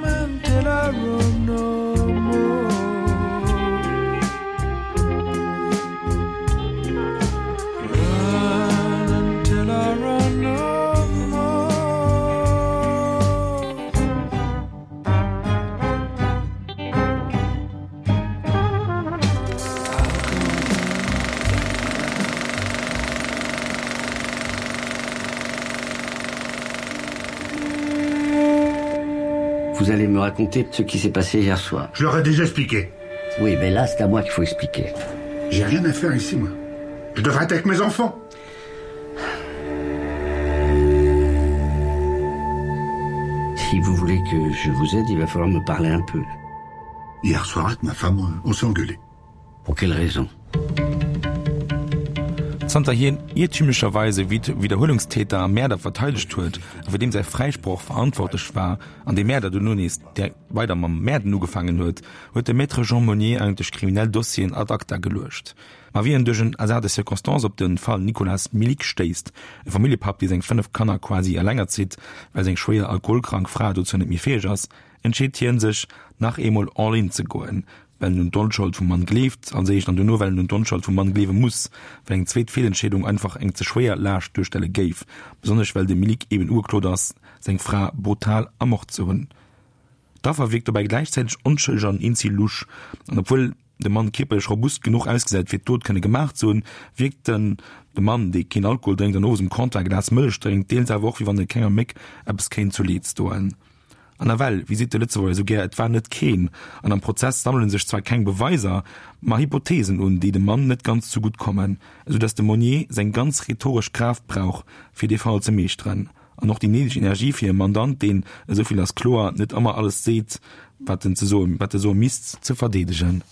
until I roam no more. Run until I run no more. Vous allez me raconter ce qui s'est passé hier soir. Je leur ai déjà expliqué. Oui, mais là, c'est à moi qu'il faut expliquer. J'ai rien à faire ici, moi. Je devrais être avec mes enfants. Si vous voulez que je vous aide, il va falloir me parler un peu. Hier soir, avec ma femme, on s'est engueulé. Pour quelle raison Zanter hien iertümlecherweise Widderhuelungstäter a Mäerder verteidegt huet a fir deem säi Fräisproch verantwortlech war, an dee Mäerder duerno nees direkt weider mam Mäerden ugefaangen huet, huet de Maître Jean Monnier eigentlech kriminell Dossieren ad acta geluecht. Ma wéi en duerch en Hasard de circonstances op de Fall Nicolas Milik stéisst, e Familljepapp, dee seng fënnef Kanner quasi eleng erzitt, well seng schwéier alkoholkrank Fra dozou net méi fäeg ass, entscheet hien sech, nach eemol all in ze goen. well en un d'Onschold vum Mann gleeft, als éischt, an duerno, well en un d'Onschold vum Mann gleewe muss, well eng zweet Feelentscheedung einfach eng ze schwéier Laascht duerstelle géif, besonnesch well de Milik eben ugeklot ass, seng Fra brutal ermort ze hunn. D'Affer wierkt dobäi gläichzäiteg onschëlleg an eenzi lusch, an obwuel de Mann kierperlech robust genuch ausgesäit, fir d'Dot kënne gemaach ze hunn, wierkt den de Mann, dee keen Alkohol drénkt an owes um Comptoir e Glas Mëllech drénkt, deels awer och, wéi wann e kenger Méck eppes kéint zu Leed stoen. An nawell, wéi seet de Lëtzebuerger esou gär, et war net keen. An am Prozess sammele sech zwar keng Beweiser, ma Hypotheesen un, déi dem Mann net ganz zugutt kommen, esou datt de Monnier seng ganz rhetoresch Kraaft brauch, fir dee Fall ze meeschteren. An och déi néideg Energie fir e Mandant, deen, esou vill ass kloer, net ëmmer alles seet, wat en ze soen, wat e soe misst, ze verdeedegen.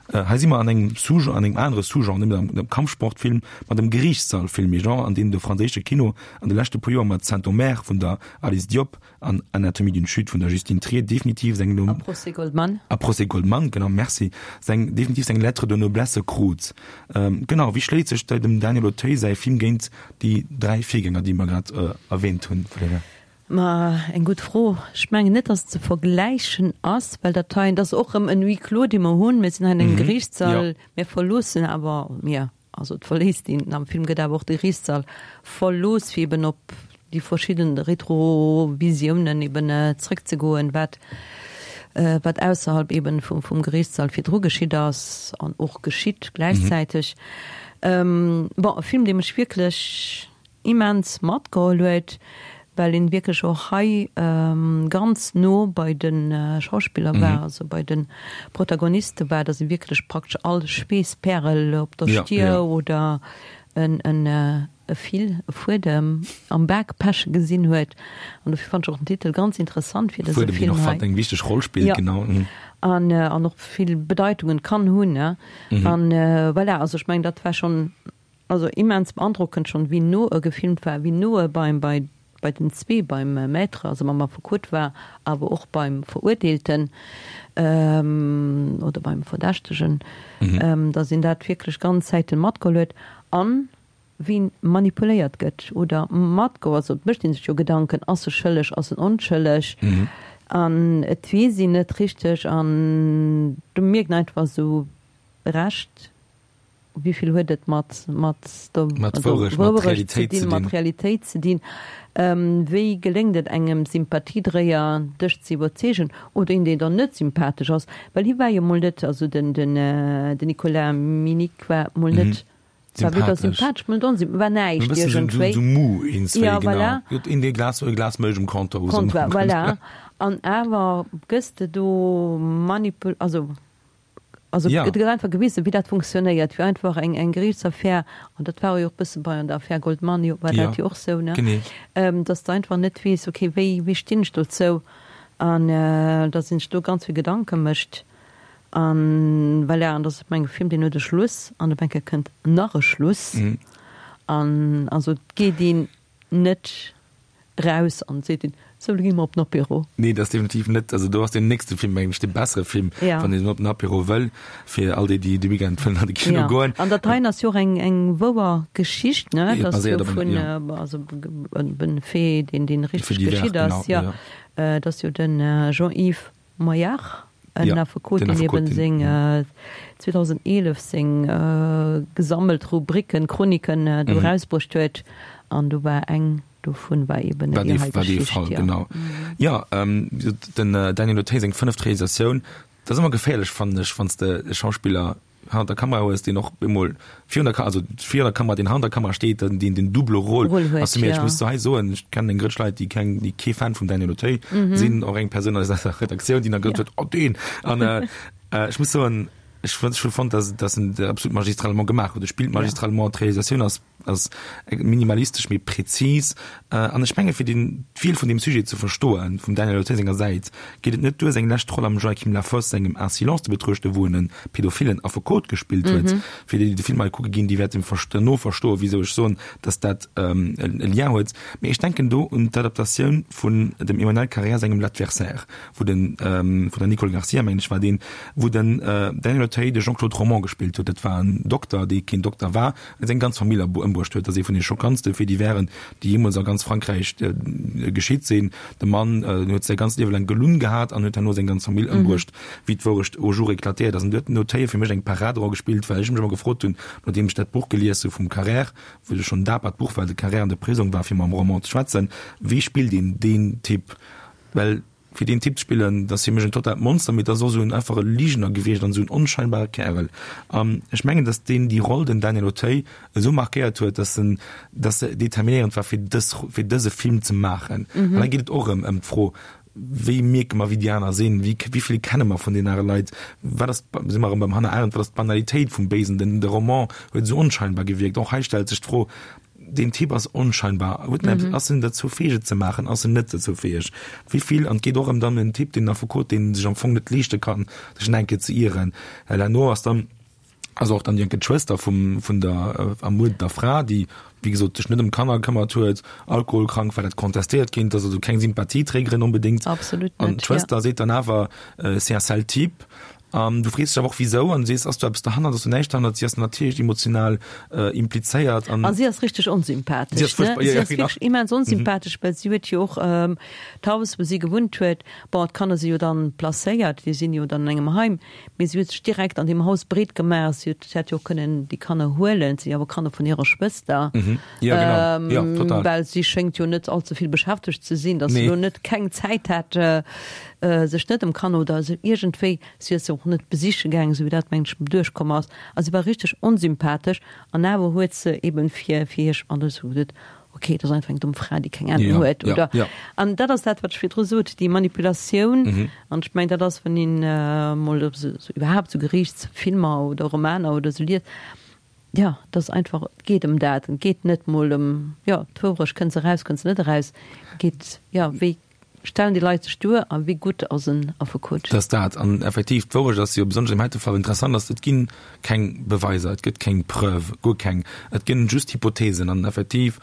Hei si mer an engem Sous-genre, an engem anere Sous-genre, net méi am Kampfsportfilm, ma dem Geriichtssallfilm, ee Genre, an deem de franséische Kino an de leschte puer Joer mat Saint-Omer vun der Alice Diop an Anatomie d'une chute vun der Justine Triet definitiv seng A Procès Goldman. A Procès Goldman, genau, merci, seng, definitiv seng Lettre de noblesse krut. Genau, wéi schléit sech dem Daniel Auteuil säi Film géint déi dräi Virgänger, déi mer grad erwähnt hunn, Valerija? Ma eng gutt Fro. Ech mengen net, datt et ze vergläichen ass, well dat hei, dat ass och erëm en Huis clos, dee mer hunn. Mir sinn hei an engem Geriichtssall, mir verloossen awer, mir, also et verléisst een, am Film gëtt awer och de Geriichtssall verlooss, fir eben op déi verschidden Retrovisiounen eben zrëckzegoen, wat wat ausserhalb eben vum vum Geriichtssall virdru geschitt ass an och geschitt gläichzäiteg. Bon, e Film, dee mech wierklech immens matgeholl huet, well een wierklech och hei ganz no bei de Schauspiller war, also bei de Protagoniste war, dass ee wierklech praktesch all Schweesspärel op der Stier oder en e Fil, e Fuedem am Bak peche gesinn huet. An dofir fand ech och den Titel ganz interessant fir dëse Film hei. Fuedem, deen och eng wichteg Roll spillt, genau. An an och vill Bedeitungen kann hunn, ne. An voilà, also ech mengen, dat war schonn Also immens beandrockend schon wéi no e gefilmt war, wéi no e beim bei bei den zwee, beim Maître, also mam Affekot war, awer och beim Verurteelten oder beim Verdächtegen, dass een dat wierklech ganz Zäiten matgeholl huet an wien manipuléiert gëtt oder matgeholl, also et mécht ee sech jo Gedanken, ass e schëlleg, ass en onschëlleg an et weess een net richteg an do mierkt een einfach esou Recht. Wéi vill huet et mat, mat der Mat Wourecht, mat Wourecht ze Realitéit dinn, ze mat dinn. Realitéit ze dinn? Wéi geléngt et engem Sympathiedréier, dech ze iwwerzeegen, oder een, deen der net sympathesch ass? Well hie war jo mol net, also den, den, den Nicolas Minic war mol net, war weder Sympathesch. sympathesch, mol net onsympathesch, war E näischt bëssen esou, iergendwéi. esou mou eenzwéi, Ja, genau. voilà. Huet een dee Glas, e Glas Mëlch um Comptoir, wou se Comptoir, voilà. An awer gëss de do manipul-, also Also Ja. et gëtt einfach gewisen, wéi dat funktionéiert, wéi einfach eng, eng Geriichtsaffär, an dat war jo och e bësse bei an der Affär Goldman jo, war Ja, dat jo och sou, ne? genee. Ähm, dass de einfach net weess, okay, wéi, wéi stinn ech dozou? An äh, dass een sech do ganz vill Gedanke mécht. An voilà, an dass et meng Film, deen huet e Schluss an op eng Kéier kënnt nach e Schluss. Mhm. An also et geet een net raus an seet een, sou, lo gi mer op den Apéro. Nee, dat ass definitiv net, also do ass deen nächste Film mengen ech dee bessere Film, Ja. wann een op den Apéro wëll, fir all déi, déi de Weekend wëllen an de Kino Ja. goen. An dat heien ass jo och eng, eng wouer Geschicht, ne? Et Dat ass jo baséiert op vun, engem, ja. also en Fait, deen, deen Fait richteg divers, geschitt genau, ass, ja. ja. Dat ass jo den Jean-Yves Maillard, en Ja, Affekot, den deen Affekot, eben den, seng mhm. zweedausendeelef seng gesammelt Rubriken, Chroniken do Mhm. erausbruecht huet. An do war eng dovun war eben War déi dee, hei war dee Geschicht, Fall, ja. genau. Ja, ähm, den Daniel Auteuil seng fënneft Realisatioun, dat ass ëmmer geféierlech, fannen ech, wann s de e Schauspiller hannert der Kamera hues, deen och emol virun der Ka-, also virun der Kamera, deen hannert der Kamera steet, dann deen den double Rôle Rôle huet, ass. Mee ech ja. muss hei soen, ech kennen eng Grëtsch Leit, déi keng, déi kee Fan vum Daniel Auteuil sinn, och eng Persoun aus eiser Redaktioun, déi dann gesot Ja. huet, oh deen! An äh, ech muss soen, ech hu fonnt, dass, dass en dat absolut magistralement gemaach huet. E spillt Ja. magistralement, d'Realisatioun ass ass minimalistesch mee präzis. An ech menge fir den d'Wiel vun deem Sujet ze verstoen, vum Daniel Auteuil senger Säit, geet et net duer seng lescht Roll am Joachim Lafosse sengem Un silence ze betruechten, wou en e pädophilen Affekot gespillt huet. Fir déi, déi de Film hei kucke ginn, déi wäerten derno verstoen, wisou ech soen, datt dat e Lien huet. Mee ech denken do un d'Adaptatioun vun dem Emmanuel Carrère sengem L'Adversaire, wou den, vun der Nicole Garcia, mengen ech war deen, wou den Daniel Auteuil Auteuil de Jean-Claude Romand gespillt huet. Dat war en Dokter, dee keen Dokter war a seng ganz Famill ëmbruecht huet. Dat ass ee vun de schockantste Faits diversen, déi jeemools a ganz Frankräich geschitt sinn. De Mann huet säi ganzt Liewe laang gelunn gehat an huet herno seng ganz Famill ëmbruecht, wéi d'Wourecht au jour éclatéiert ass. An do huet den Auteuil fir mech eng Paraderoll gespillt, well ech mech ëmmer gefrot hunn, nodeem ech dat Buch gelies hu vum Carrère, wou schonn en dapert Buch war, de Carrère an de Prisong war, fir mam Roman ze schwätzen, wéi spillt een deen Typ? Well fir deen Typ ze spillen, dat ass fir mech en totaalt Monster, mee dat ass och esou en einfache Ligener gewiescht an esou en onscheinbare Kärel. An ech mengen, datt deen déi Roll, den Daniel Auteuil, esou markéiert huet, datt en, datt se determinéierend war fir dës, fir dëse Film ze maachen. An da geet et och erëm ëm d'Fro, Wéi mierke mer, wéi déi aner sinn? Wéi, wéi vill kenne mer vun deenen anere Leit? Wat ass, si mer erëm beim Hannah Arendt, wat ass d'Banalitéit vum Béisen? Den, de Roman huet esou onscheinbar gewierkt. Och hei stellt sech d'Fro, Deen Typ ass onscheinbar. Huet en eppes, ass en derzou fäeg et ze maachen? Ass en net derzou fäeg? Wéi vill, an et geet och ëm dann en Typ, deen Affekot, deen sech am Fong net leeschte kann, sech nach eng Kéier ze ieren. Well herno ass dann, ass och dann déi enke d'Schwëster vum, vun der ermuerdeter Fra, déi, wéi gesot, sech net ëm d'Kanner gekëmmert huet, alkoholkrank war, dat contestéiert ginn, dat ass also keng Sympathieträgerin onbedéngt. Absolut An net, ja. d'Schwëster seet dann awer, C'est un sale type. An du frees dech awer och, wisou, an du sees, ass do eppes derhannert, ass do näischt derhannert? Si ass natierlech emotional implizéiert an. A si ass richteg onsympathesch, Si ass ne? fuerchtbar, ja, Si ja, ass genau. wierklech immens onsympathesch, well si huet jo och d'Haus, wou si gewunnt huet, bon, d'Kanner si jo dann placéiert, déi sinn jo dann an engem Heim, mee si huet sech direkt an deem Haus breet gemaach. Si huet, si hätt jo och kënnen déi Kanner huelen, et si jo awer Kanner vun hirer Schwëster, Ja, genau. Ja, total. well si schéngt jo net allze vill beschäftegt ze sinn, datt si Nee. elo net keng Zäit hätt, sech net ëm Kanner oder esou iergendwéi, si ass se och net besiche gaangen, esou wéi dat, mengen ech, duerchkomm ass. A si war richteg onsympathesch an awer huet se eben fir, fir hir, an ech hu gesot, ok, dat ass einfach eng domm Fra, déi keng Ahnung Ja, huet, ja, oder? ja. An dat ass dat, wat ech virdru sot, déi Manipulatioun. An ech mengen, dat ass, wann een emol esou, esou iwwerhaapt esou Geriichtsfilmer oder Romaner oder esou liest, jo, dat ass einfach, et geet ëm dat. Et geet net mol ëm, jo, d'Wourecht, kënnt se eraus, kënnt se net eraus. Et geet, jo, wéi stellen déi Leit sech duer a wéi gutt ass en Affekot? Dat ass dat. An effektiv, d'Wourecht ass jo besonnesch am heite Fall interessant ass, et gi keng Beweiser, et gëtt keng Preuve, guer keng. Et ginn just Hypothesen. An effektiv,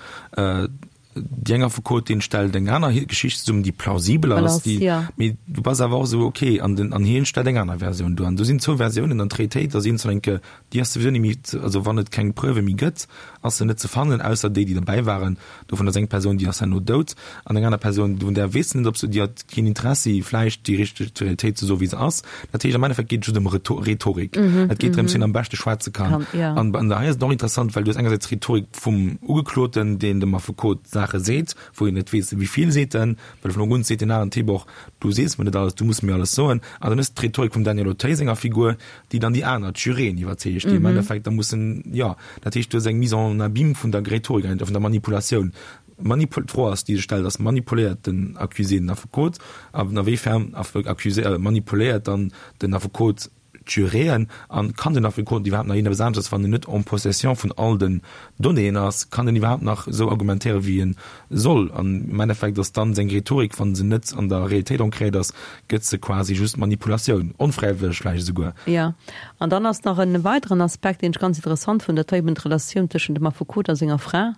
déi eng Affekotin stellt eng aner Geschicht zesummen, déi plausibel ass, déi, mee du bass awer och esou, okay, an den, an hien stellt eng aner Versioun duer. An do sinn zwou Versiounen an d'Realitéit ass iergendwann eng Kéier, déi ass souwisou net méi, also wann et keng Preuve méi gëtt, ass se net ze fannen, ausser déi, déi derbäi waren. Dovun ass eng Persoun, déi ass herno dout, an eng aner Persoun, vun där weess de net, ob se, déi hat keen Interessi vläicht déi richteg, d'Realitéit ze soen, wéi se ass. Dat heescht, am Endeffekt geet et just ëm Rhetorik. Et geet drëms, wien am beschte schwätze kann. An an hei ass et och interessant, well du hues engersäits d'Rhetorik vum Ugekloten, deen dem Affekot Saache seet, wou een net weess, wéi vill seet en, well vun Ufank un seet deen aneren Typ och, du sees mer net alles, du muss mir alles soen. An dann hues de d'Rhetorik vum Daniel Auteuil senger Figur, déi dann déi aner, d'Juryeen iwwerzeegt, déi am Endeffekt da mussen, jo, dat heescht, du hues eng Mise en abîme vun der Rhetorik eigentlech, vun der Manipulatioun. Manipul, d'Fro ass, déi sech stellt, ass, Manipuléiert den Accusé den Affekot? An a wéi fern Accusé, manipuléiert dann den Affekot d'Juryeen? An kann den Affekot iwwerhaapt nach iergendeppes aneschters, wann en net en possession vun all den Donnéeën ass, kann en iwwerhaapt nach esou argumentéieren, wéi en soll? An am Endeffekt ass dann seng Rhetorik, wa se net an der Realitéit ancréiert ass, gëtt se quasi just Manipulatioun, onfräiwëlleg vläicht esouguer. Jo, an dann ass nach en weideren Aspekt, deen ech ganz interessant fonnt, dat war eben d'Relatioun tëschent dem Affekot a senger Fra,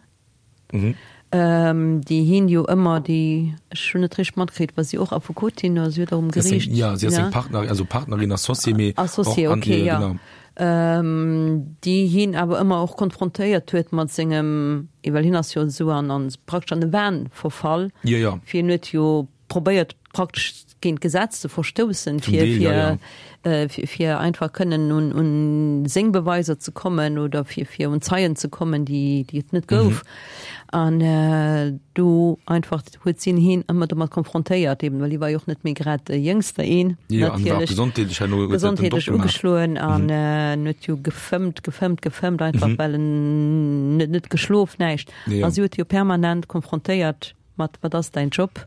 déi hien jo ëmmer, déi, ech hunn net richteg matkritt, war si och Affekotin oder si huet och um Geriicht? Jo, si ass seng Partner, also Partnerin, Associée, mee och, Associée, okay, jo, genau. Déi hien awer ëmmer och konfrontéiert huet mat sengem, well hien ass jo esou an, an praktesch an de Wahn verfall, Jo, jo. fir hien huet jo probéiert praktesch géint d'Gesetz ze verstoussen, Zum fir, Deel, ja, fir, ja. äh, fir, fir einfach kënnen un, un seng Beweiser ze kommen oder fir, fir un Zeien ze kommen, déi, déi et net gouf. An äh, do einfach huet si hien ëmmer domat konfrontéiert, eben, well hie war jo och net méi grad de Jéngster een, Jo, an war och natierlech. gesondheetlech herno huet dat den Gesondheetlech Dopp gemaach. ugeschloen an äh, en huet jo gefëmmt, gefëmmt, gefëmmt, einfach well en net, net geschlof, näischt. Ja, ja. A si huet hie jo permanent konfrontéiert mat, wat ass däin Job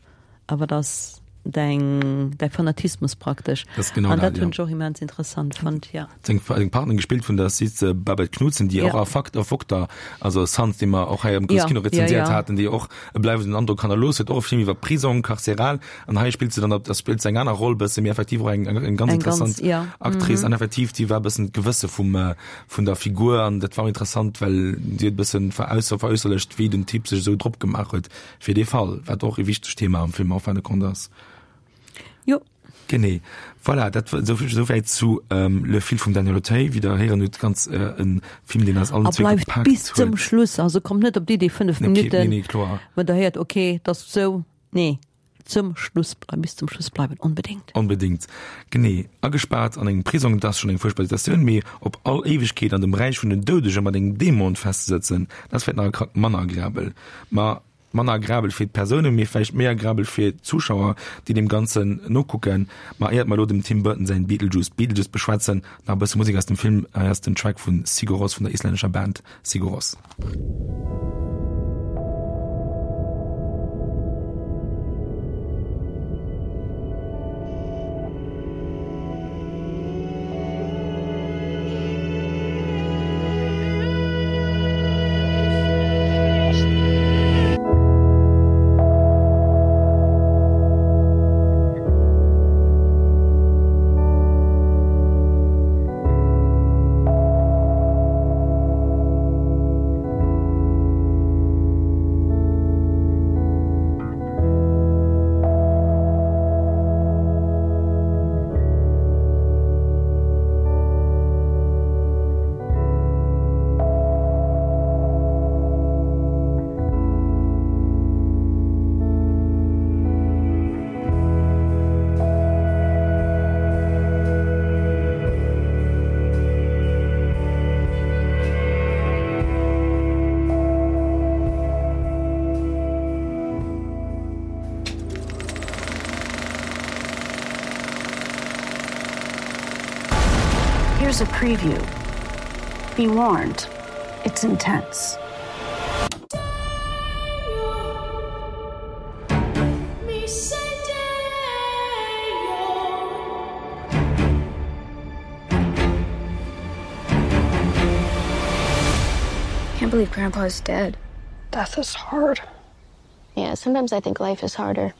a wat ass däin, däi Fanatismus praktesch. Dat ass genau An dat, dat hunn ja. ech och immens interessant fonnt, ja. Seng, seng Partnerin gespillt vun der Sidse Babette Knudsen, déi Ja. och a Fakt a Vokter, also Sons, dee mer och hei am Ja, Kino ja, rezenséiert ja. haten, déi och e bleiwenden Androck hannerlooss huet, och e Film iwwer Prisong, carcéral. An hei spillt se dann, da spillt se eng aner Roll bësse, mee effektiv och eng, eng, eng ganz Eng ganz, interessant ja. Actrice. An effektiv, déi war e bëssen d'Gewësse vum, vun der Figur an dat war och interessant, well si huet e bëssen verausser, veräusserlecht, wéi den Typ sech esou drop gemaach huet fir dee Fall, wat och e wichtegt Thema am Film en fin de compte ass. Jo. Genee. Voilà, dat war esou esou wäit zu ähm, Le Fil vum Daniel Auteuil, wéi der héieren hutt, ganz äh, en Film, deen eis allen A zwee bleift gepaakt bis zum huet. Schluss, also kommt net op d'Idee fënnef Okay, nee, Minutten, nee, kloer. wann der héiert, okay, dat ass sou, nee, zum Schluss bleiwen, bis zum Schluss bleiwen, onbedéngt. Onbedéngt. Genee. Agespaart an engem Prisong, dat ass schonn eng fuerchtbar Situatioun, mee op all Éiwegkeet an dem Räich vun den Doudege mat engem Dämon festzesëtzen, dat ass vläicht nach e Krack manner agreabel. Ma manner agreabel fir d'Persounen, mee vläicht méi agreabel fir d'Zuschauer, déi deem Ganzen nokucken. Ma éiert mer elo dem Tim Burton säin Beetlejuice Beetlejuice beschwätzen, nach e bësse Musek aus dem Film. Hei ass den Track vu Sigur Rós, vun der islännescher Band Sigur Rós. Here's a preview. Be warned, it's intense. Can't believe Grandpa's dead. Death is hard. Yeah, sometimes I think life is harder.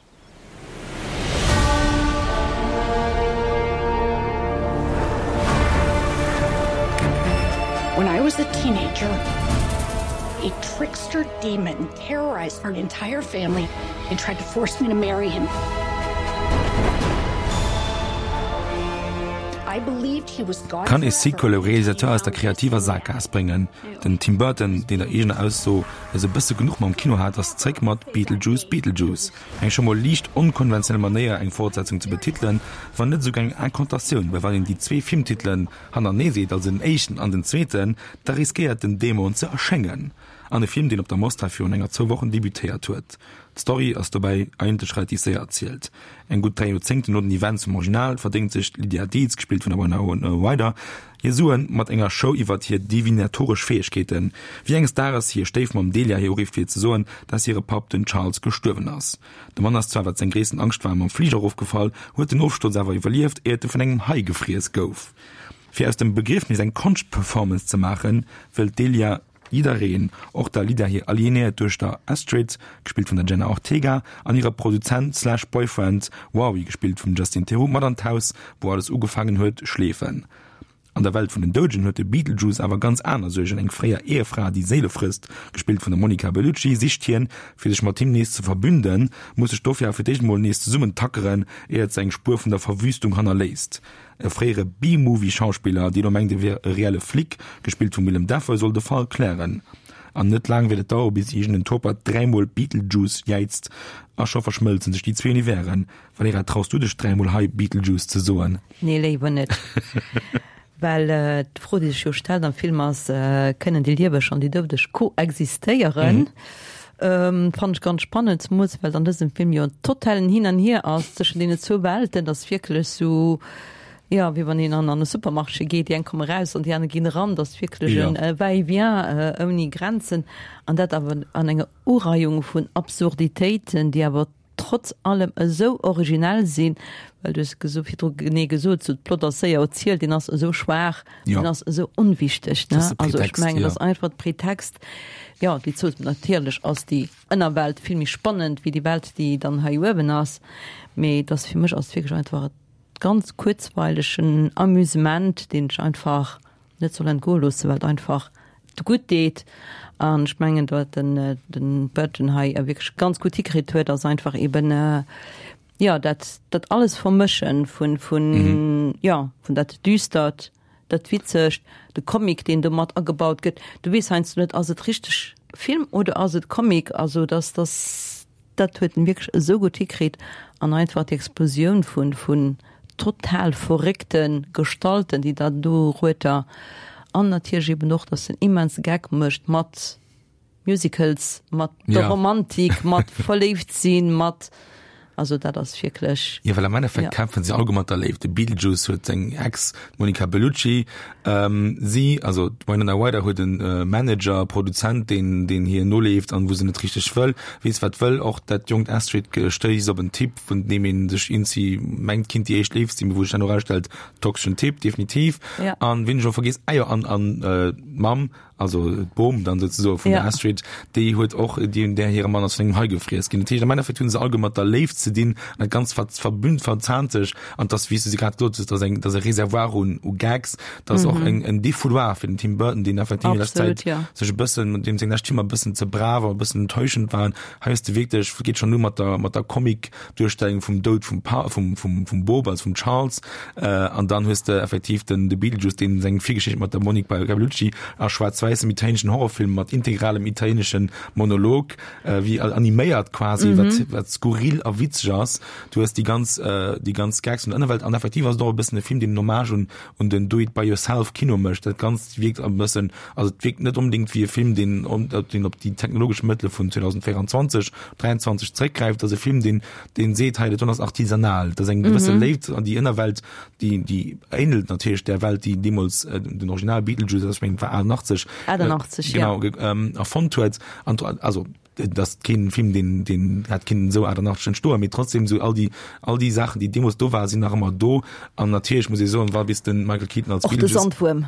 When I was a teenager, a trickster demon terrorized our entire family and tried to force me to marry him. Kann e Sequel e Realisateur aus der kreativer Saakgaass bréngen? Den Tim Burton, deen der eegener Ausso no e bësse genuch mam Kino hat, ass zréck mat Beetlejuice Beetlejuice. Eng scho mol liicht onkonventionell Manéier eng Fortsetzung ze betitelen, wann net esouguer eng Incantatioun, well wann een déi zwee Filmtitelen hannertenee seet, also den éischten an den zweeten, da riskéiert den Dämon ze erschéngen. An e Film, deen op der Mostra virun enger zwou Wochen debutéiert huet. D'Story ass dobäi eigentlech relativ séier erzielt. Eng gutt dräi Joerzéngten no den Events vum Original verdéngt sech d'Lydia Deetz, gespillt vun der Winona Ryder, hir Suen mat enger Show iwwert hir divinatoresch Fäegkeeten, wéi enges Dages hir Stéifmamm Delia hir urifft fir ze soen, dass hire Papp, den Charles, gestuerwen ass. De Mann ass zwar, wat seng gréissten Angscht war, mam Fliger erofgefall, huet den Ofsturz awer iwwerlieft, éiert e vun engem Hai gefriess gouf. Fir aus dem Begriefnis eng Konschtperformance ze maachen, wëllt d'Delia jiddereen, och der Lydia hir alienéiert Duechter Astrid, gespillt vun der Jenna Ortega, an hire Produzent slash Boyfriend Wowie, gespillt vum Justin Theroux, mat an d'Haus, wou alles ugefaangen huet, schleefen. An der Welt vun den Doudegen huet de Beetlejuice awer ganz aner Suergen, Eng fréier Ehefra, déi Séile frësst, gespillt vun der Monica Bellucci, sicht hien, fir sech mat him nees ze verbünden, muss sech dofir awer fir d'éischt emol nees zesummentackeren, éiert se eng Spuer vun der Verwüstung hannerléisst. E fréiere B-Movie-Schauspiller, deen elo mengt e wier e reelle Flic, gespillt vum Willem Dafoe, soll de Fall klären. An net laang wäert et dauere bis iergend en Topert dräimol Beetlejuice jäizt a scho verschmëlzen sech déi zwee Universen. Valerija, traus du dech dräimol hei Beetlejuice ze soen? Nee, léiwer net. Well d'Fro, déi sech jo stellt am Film ass, Kënnen déi Lieweg an déi Doudeg koexistéieren? Fannen ech ganz spannend, zemools well et an dësem Film jo en totalen Hin an Hier ass tëschent deenen zwou Welten. Dat ass wierklech sou, jo, wéi wann een an an e Supermarché geet, déi eng komme raus an déi aner ginn eran. Dat ass wierklech en Va-et-vient ouni Grenzen. An dat awer an enger Ureihung vun Absurditéiten, déi awer trotz allem esou originell sinn, well du hues geso virdru genee gesot, sou d'Plot ass séier erzielt, deen ass esou schwaach, deen ass esou onwichteg, ne? Also ech mengen, dat ass einfach de Pretext, jo, déi zwou, natierlech ass déi Ënnerwelt vill méi spannend wéi déi Welt, déi dann hei uewen ass, mee et ass fir mech ass et wierklech einfach e ganz kuerzweilegen Amusement, deen ech einfach net soll entgoe loossen, well et einfach gutt deet. An ech mengen, wat den, den Burton hei wierklech ganz gutt hikritt huet, ass einfach eben, jo dat dat alles vermëschen vun vun mhm. jo vun dat Düstert dat Witzegt de Comic deen do mat agebaut gëtt du weess heiansdo net ass et richteg Film oder ass et Comic also dass das dat huet en wierklech esou gutt hikritt an einfach d'Explosioun vun vun total verréckte Gestalten déi da do rueter an natierlech eben och dass en immens Gag mécht mat Musicals mat der Romantik mat verléift sinn mat also dat ass wierklech. Jo, well am Endeffekt ja. kämpfen se alleguer mat der Léift. De Beetlejuice huet seng Ex, d'Monica Bellucci, ähm, si, also d'Winona Ryder huet en äh, Manager, Produzent, deen, deen hir noleeft an wou se net richteg wëll, weess wat wëll. Och dat jonkt Astrid stéisst op en Typ, vun deem een sech iergendwéi mengt, kinnt déi éischt Léift sinn, mee wou sech dann erausstellt, toxeschen Typ, definitiv. Ja. An wien ech och vergiess, ah jo, an, an äh, d'Mamm, also d'Bom dann souzesoe vun der Ja. Astrid, déi huet och, déi, där hire Mann ass vun engem Hai gefriess ginn. Dat heescht, am Endeffekt hu se alleguer mat der Léift ze dinn an dat Ganzt ver, verbünnt, verzahnt sech an dass, wéi s du se grad gesot hues, dass eng, dass e Reservoir un, u Gags, dass och eng, en Défouloir fir den Tim Burton, deen effektiv an leschter Absolut, Zäit ja. sech e bëssen, deem seng lescht Filmer e bëssen ze brav a e bëssen enttäuschend waren. Hei hues de wierklech, geet schonn u mat der, mat der Comic-Duerstellung vum Doud vum Pa, vum, vum, vum Bob, also vum Charles, äh, an dann hues de effektiv den, de Beetlejuice, deen seng Virgeschicht mat der Monica Bellucci a schwaarz-wäissem italienischen Horrorfilm mat integralem italienischen Monolog, äh, wéi animéiert quasi, mhm. wat, wat skurril a witzeg ass. Du hues déi ganz, äh, déi ganz Gags vun der Ënnerwelt an effektiv ass et och e bëssen e Film, deen en Hommage un, un den Do-it-by-yourself-Kino mécht. Dat Ganzt wierkt e bëssen, also et wierkt net onbedéngt wéi e Film, deen, deen op déi technologesch Mëttele vun zweedausendvéierundzwanzeg, dräianzwanzeg zeréckgräift. Et ass e Film, deen, deen seet, hei, dat do ass artisanal. Dat ass eng gewësse mhm. Léift an déi Ënnerwelt, déi, déi ähnelt natierlech der Welt, déi deemools äh, den Original Beetlejuice, ech mengen, war achtundachtzeg, achtundachtzeg, äh, genau, ja. ähm, erfonnt huet. An, also, dat ass keen Film, deen, deen hätt kinnen esou achtundachtzeg entstoen, mee trotzdem sou all déi, all déi Saachen, déi deemools do waren, sinn nach ëmmer do. An natierlech muss ee soen, wa bis de Michael Keaton als Och de Beetlejuice, Sandwuerm.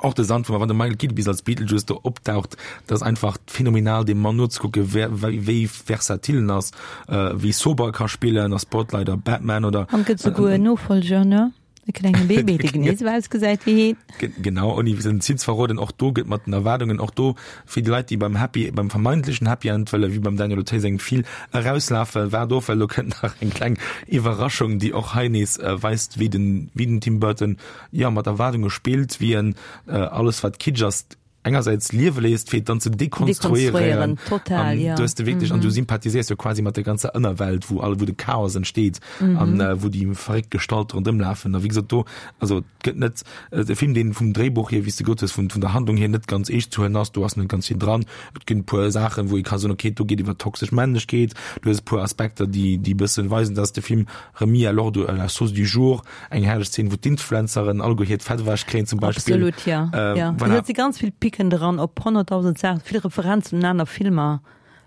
och de Sandwuerm, wann de Michael Keaton bis als Beetlejuice do opdaucht, dat ass einfach phänomenal, deem Mann nozekucken, wer, wéi, wéi versatil en ass, äh, wéi sober e ka spillen a Spotlight a Batman oder. An gëtt souguer en Nofolger, ne? E klenge Baby, dee genee esou ausgesäit wéi hien. Genau, ouni den Ziel ze verroden, och do gëtt mat den Erwaardungen, och do fir déi Leit, déi beim Happy, beim vermeintlechen Happy End wëlle wéi beim Daniel Auteuil sengem Fil erauslafen, waart of, well do kënnt nach eng kleng Iwwerraschung, déi och hei nees weist, wéi den, wéi den Tim Burton, jo, mat Erwaardunge spillt, wéi en alles, wat Kitsch ass, engersäits liewe léisst, fir et dann ze dekonstruéieren. Dekonstruéieren, total, An ja. du hues de wierklech, an du sympathiséiers jo quasi mat der ganzer Ënnerwelt, wou all, wou de Chaos entsteet an äh, wou déi verréckt Gestalte ronderëm lafen. A wéi gesot, do, also et gëtt net äh, e Film, deen vum Dréibuch hier, wéi s de gesot hues, vun, vun der Handlung hier net ganz eescht ze huelen ass. Do ass net ganz vill dran. Et ginn e puer Saachen, wou ee ka soen, okay, do geet iwwer toxesch Männlechkeet. Du hues e puer Aspekter, déi, déi e bëssen weisen, dass de Film remis à l'ordre, à la sauce du jour, eng herrlech Szene, wou d'Influenceren alleguer hiert Fett ewech kréien zum Beispill. Absolut, ja. Äh, ja. voilà. Et si ganz vill Picken dran op honnertdausend Saachen, vill Referenzen un aner Filmer.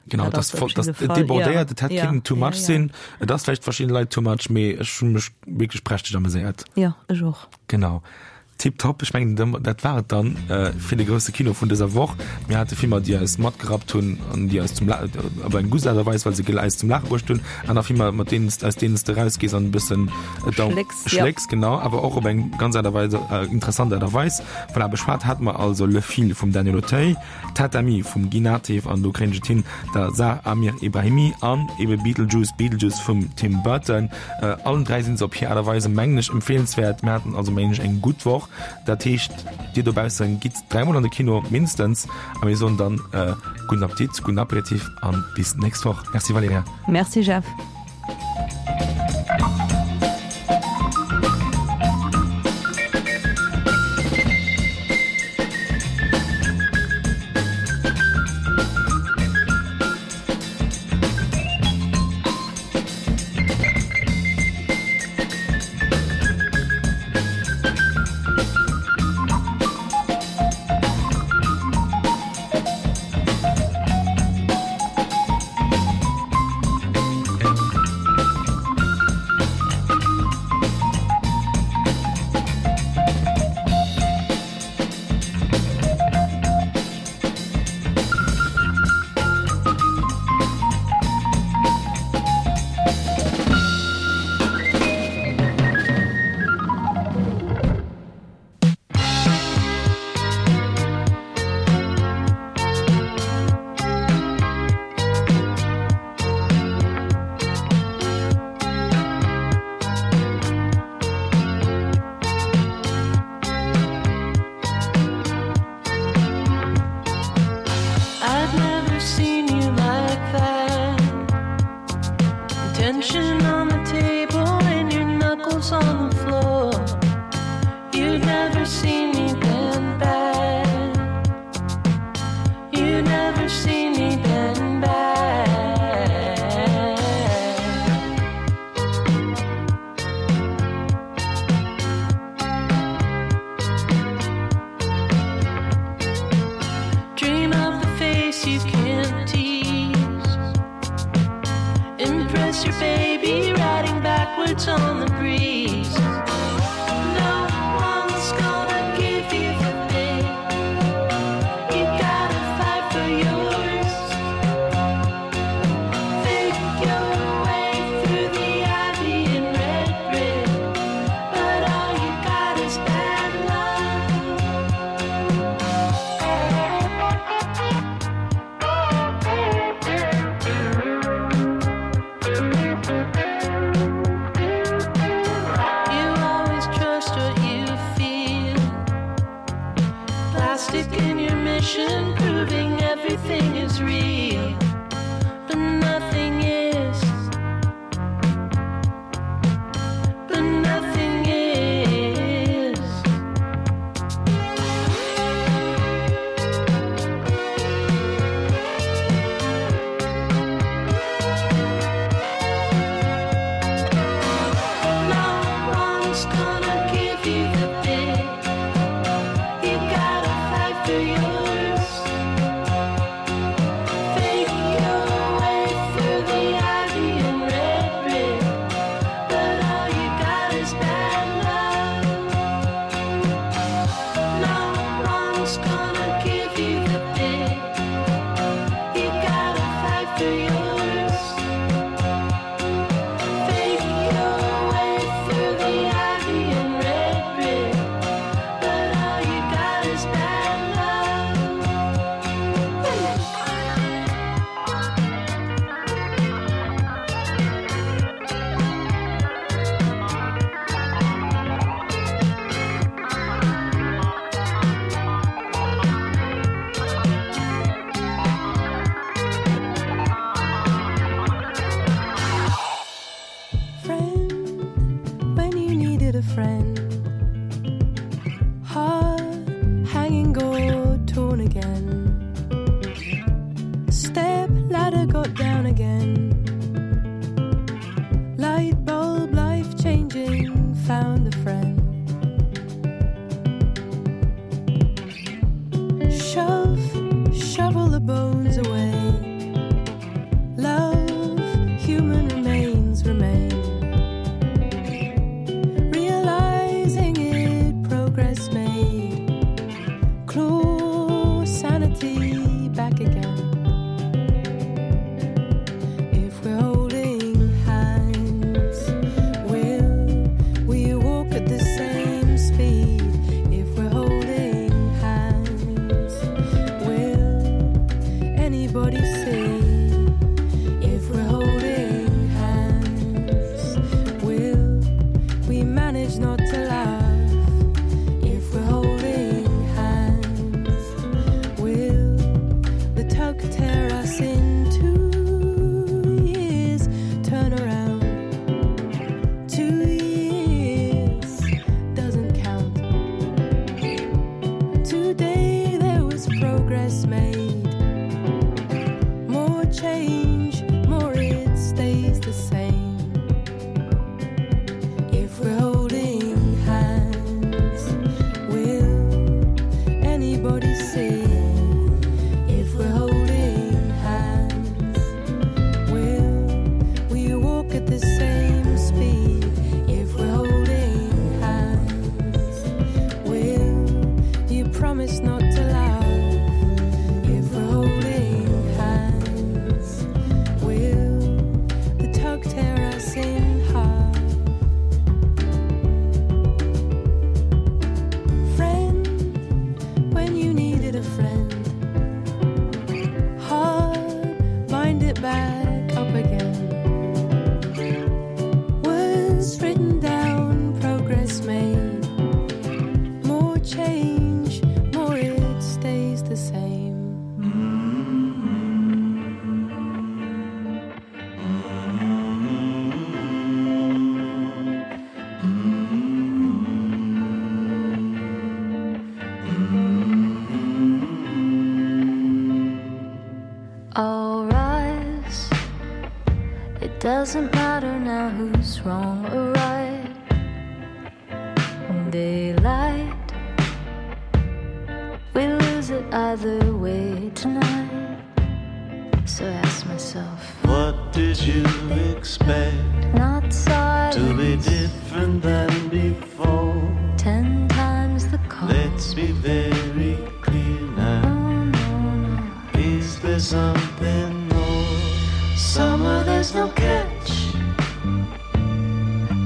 Genau, Dat dat ass voll, op dat jidde Fall, débordéiert, ja. et hätt Ja, kinnen too ja, much ja. sinn. Et ass vläicht verschidde Leit too much, mee ech hu mech wierklech prächteg ameséiert. Ja, ech och. Genau. Tiptop, ech mengen dat war et dann fir de grousse Kino vun dëser Woch. Mir hate Filmer, déi eis matgerappt hunn an déi eis zum La op eng gutt Aart a Weis, well se eis zum Laache bruecht hunn. Aner Filmer, mat deenen s aus deenen s de erausgees an e bëssen Schlécks, ja. schlécks, genau, awer och op eng ganz Aart a Weis, interessant Aart a Weis. Voilà, beschwat hate mer also Le Fil vum Daniel Auteuil, Tatami vum Guy Nattiv an Do kréien ech et hin, der Zar Amir Ebrahimi an ebe Beetlejuice, Beetlejuice vum Tim Burton. Allen dräi sinn se op hir Aart a Weise, mengen ech, empfeelenswäert. Mir haten also, mengen ech, eng gutt Woch. Dat heescht, dir dobaussen gitt dräimol an de Kino, mindestens. A mir soen dann gudden Appetit, gudden Aperitif an bis d'nächst Woch. Merci Valerija. Merci Jeff. seen me bend back. You never seen me bend back. Dream of the face you can't tease. Impress your baby riding backwards on the breeze. No one's gonna give you the bit. You gotta fight for yours. Fake your way through the ivy and red brick, but all you got is bad luck. You always trust what you feel. Plastic in your mission, proving everything is real, but nothing is. But nothing is. No one's gonna give you the bit. You gotta fight for yours. Fake your way through the ivy and red brick, but all you got is bad luck. No one's gonna give you the bit. You gotta fight for yours. Fake your way through the ivy and red brick, but all you got is bad luck. Friend, when you needed a friend. Heart hanging gold torn again. Step ladder got down again. Light bulb, life changing, found a friend. Shove, shovel the bones away. Love, human remains remain. Realizing it, progress made. Claw sanity back again. If we're holding hands, will we walk at the same speed? If we're holding hands, will anybody see? If we're holding hands, will we manage not to laugh? If we're holding hands, will the tug tear us in two years? Turn around, two years doesn't count. Today there was progress made. More change, more it stays the same. If we're holding hands. Doesn't matter now who's wrong or right. Daylight, we lose it either way tonight. So I ask myself, What did you expect not silence, to be different than before? Ten times the cost. Let's be very clear now. Oh, no, no. Is there something more? Summer, there's no catch.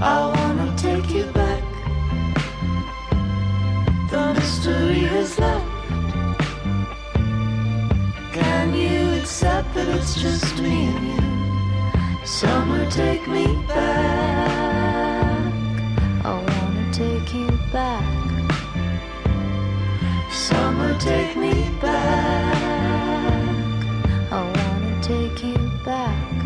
I wanna take you back. The mystery has left. Can you accept that it's just me and you? Summer, take me back. I wanna take you back. Summer, take me back. I wanna take you back.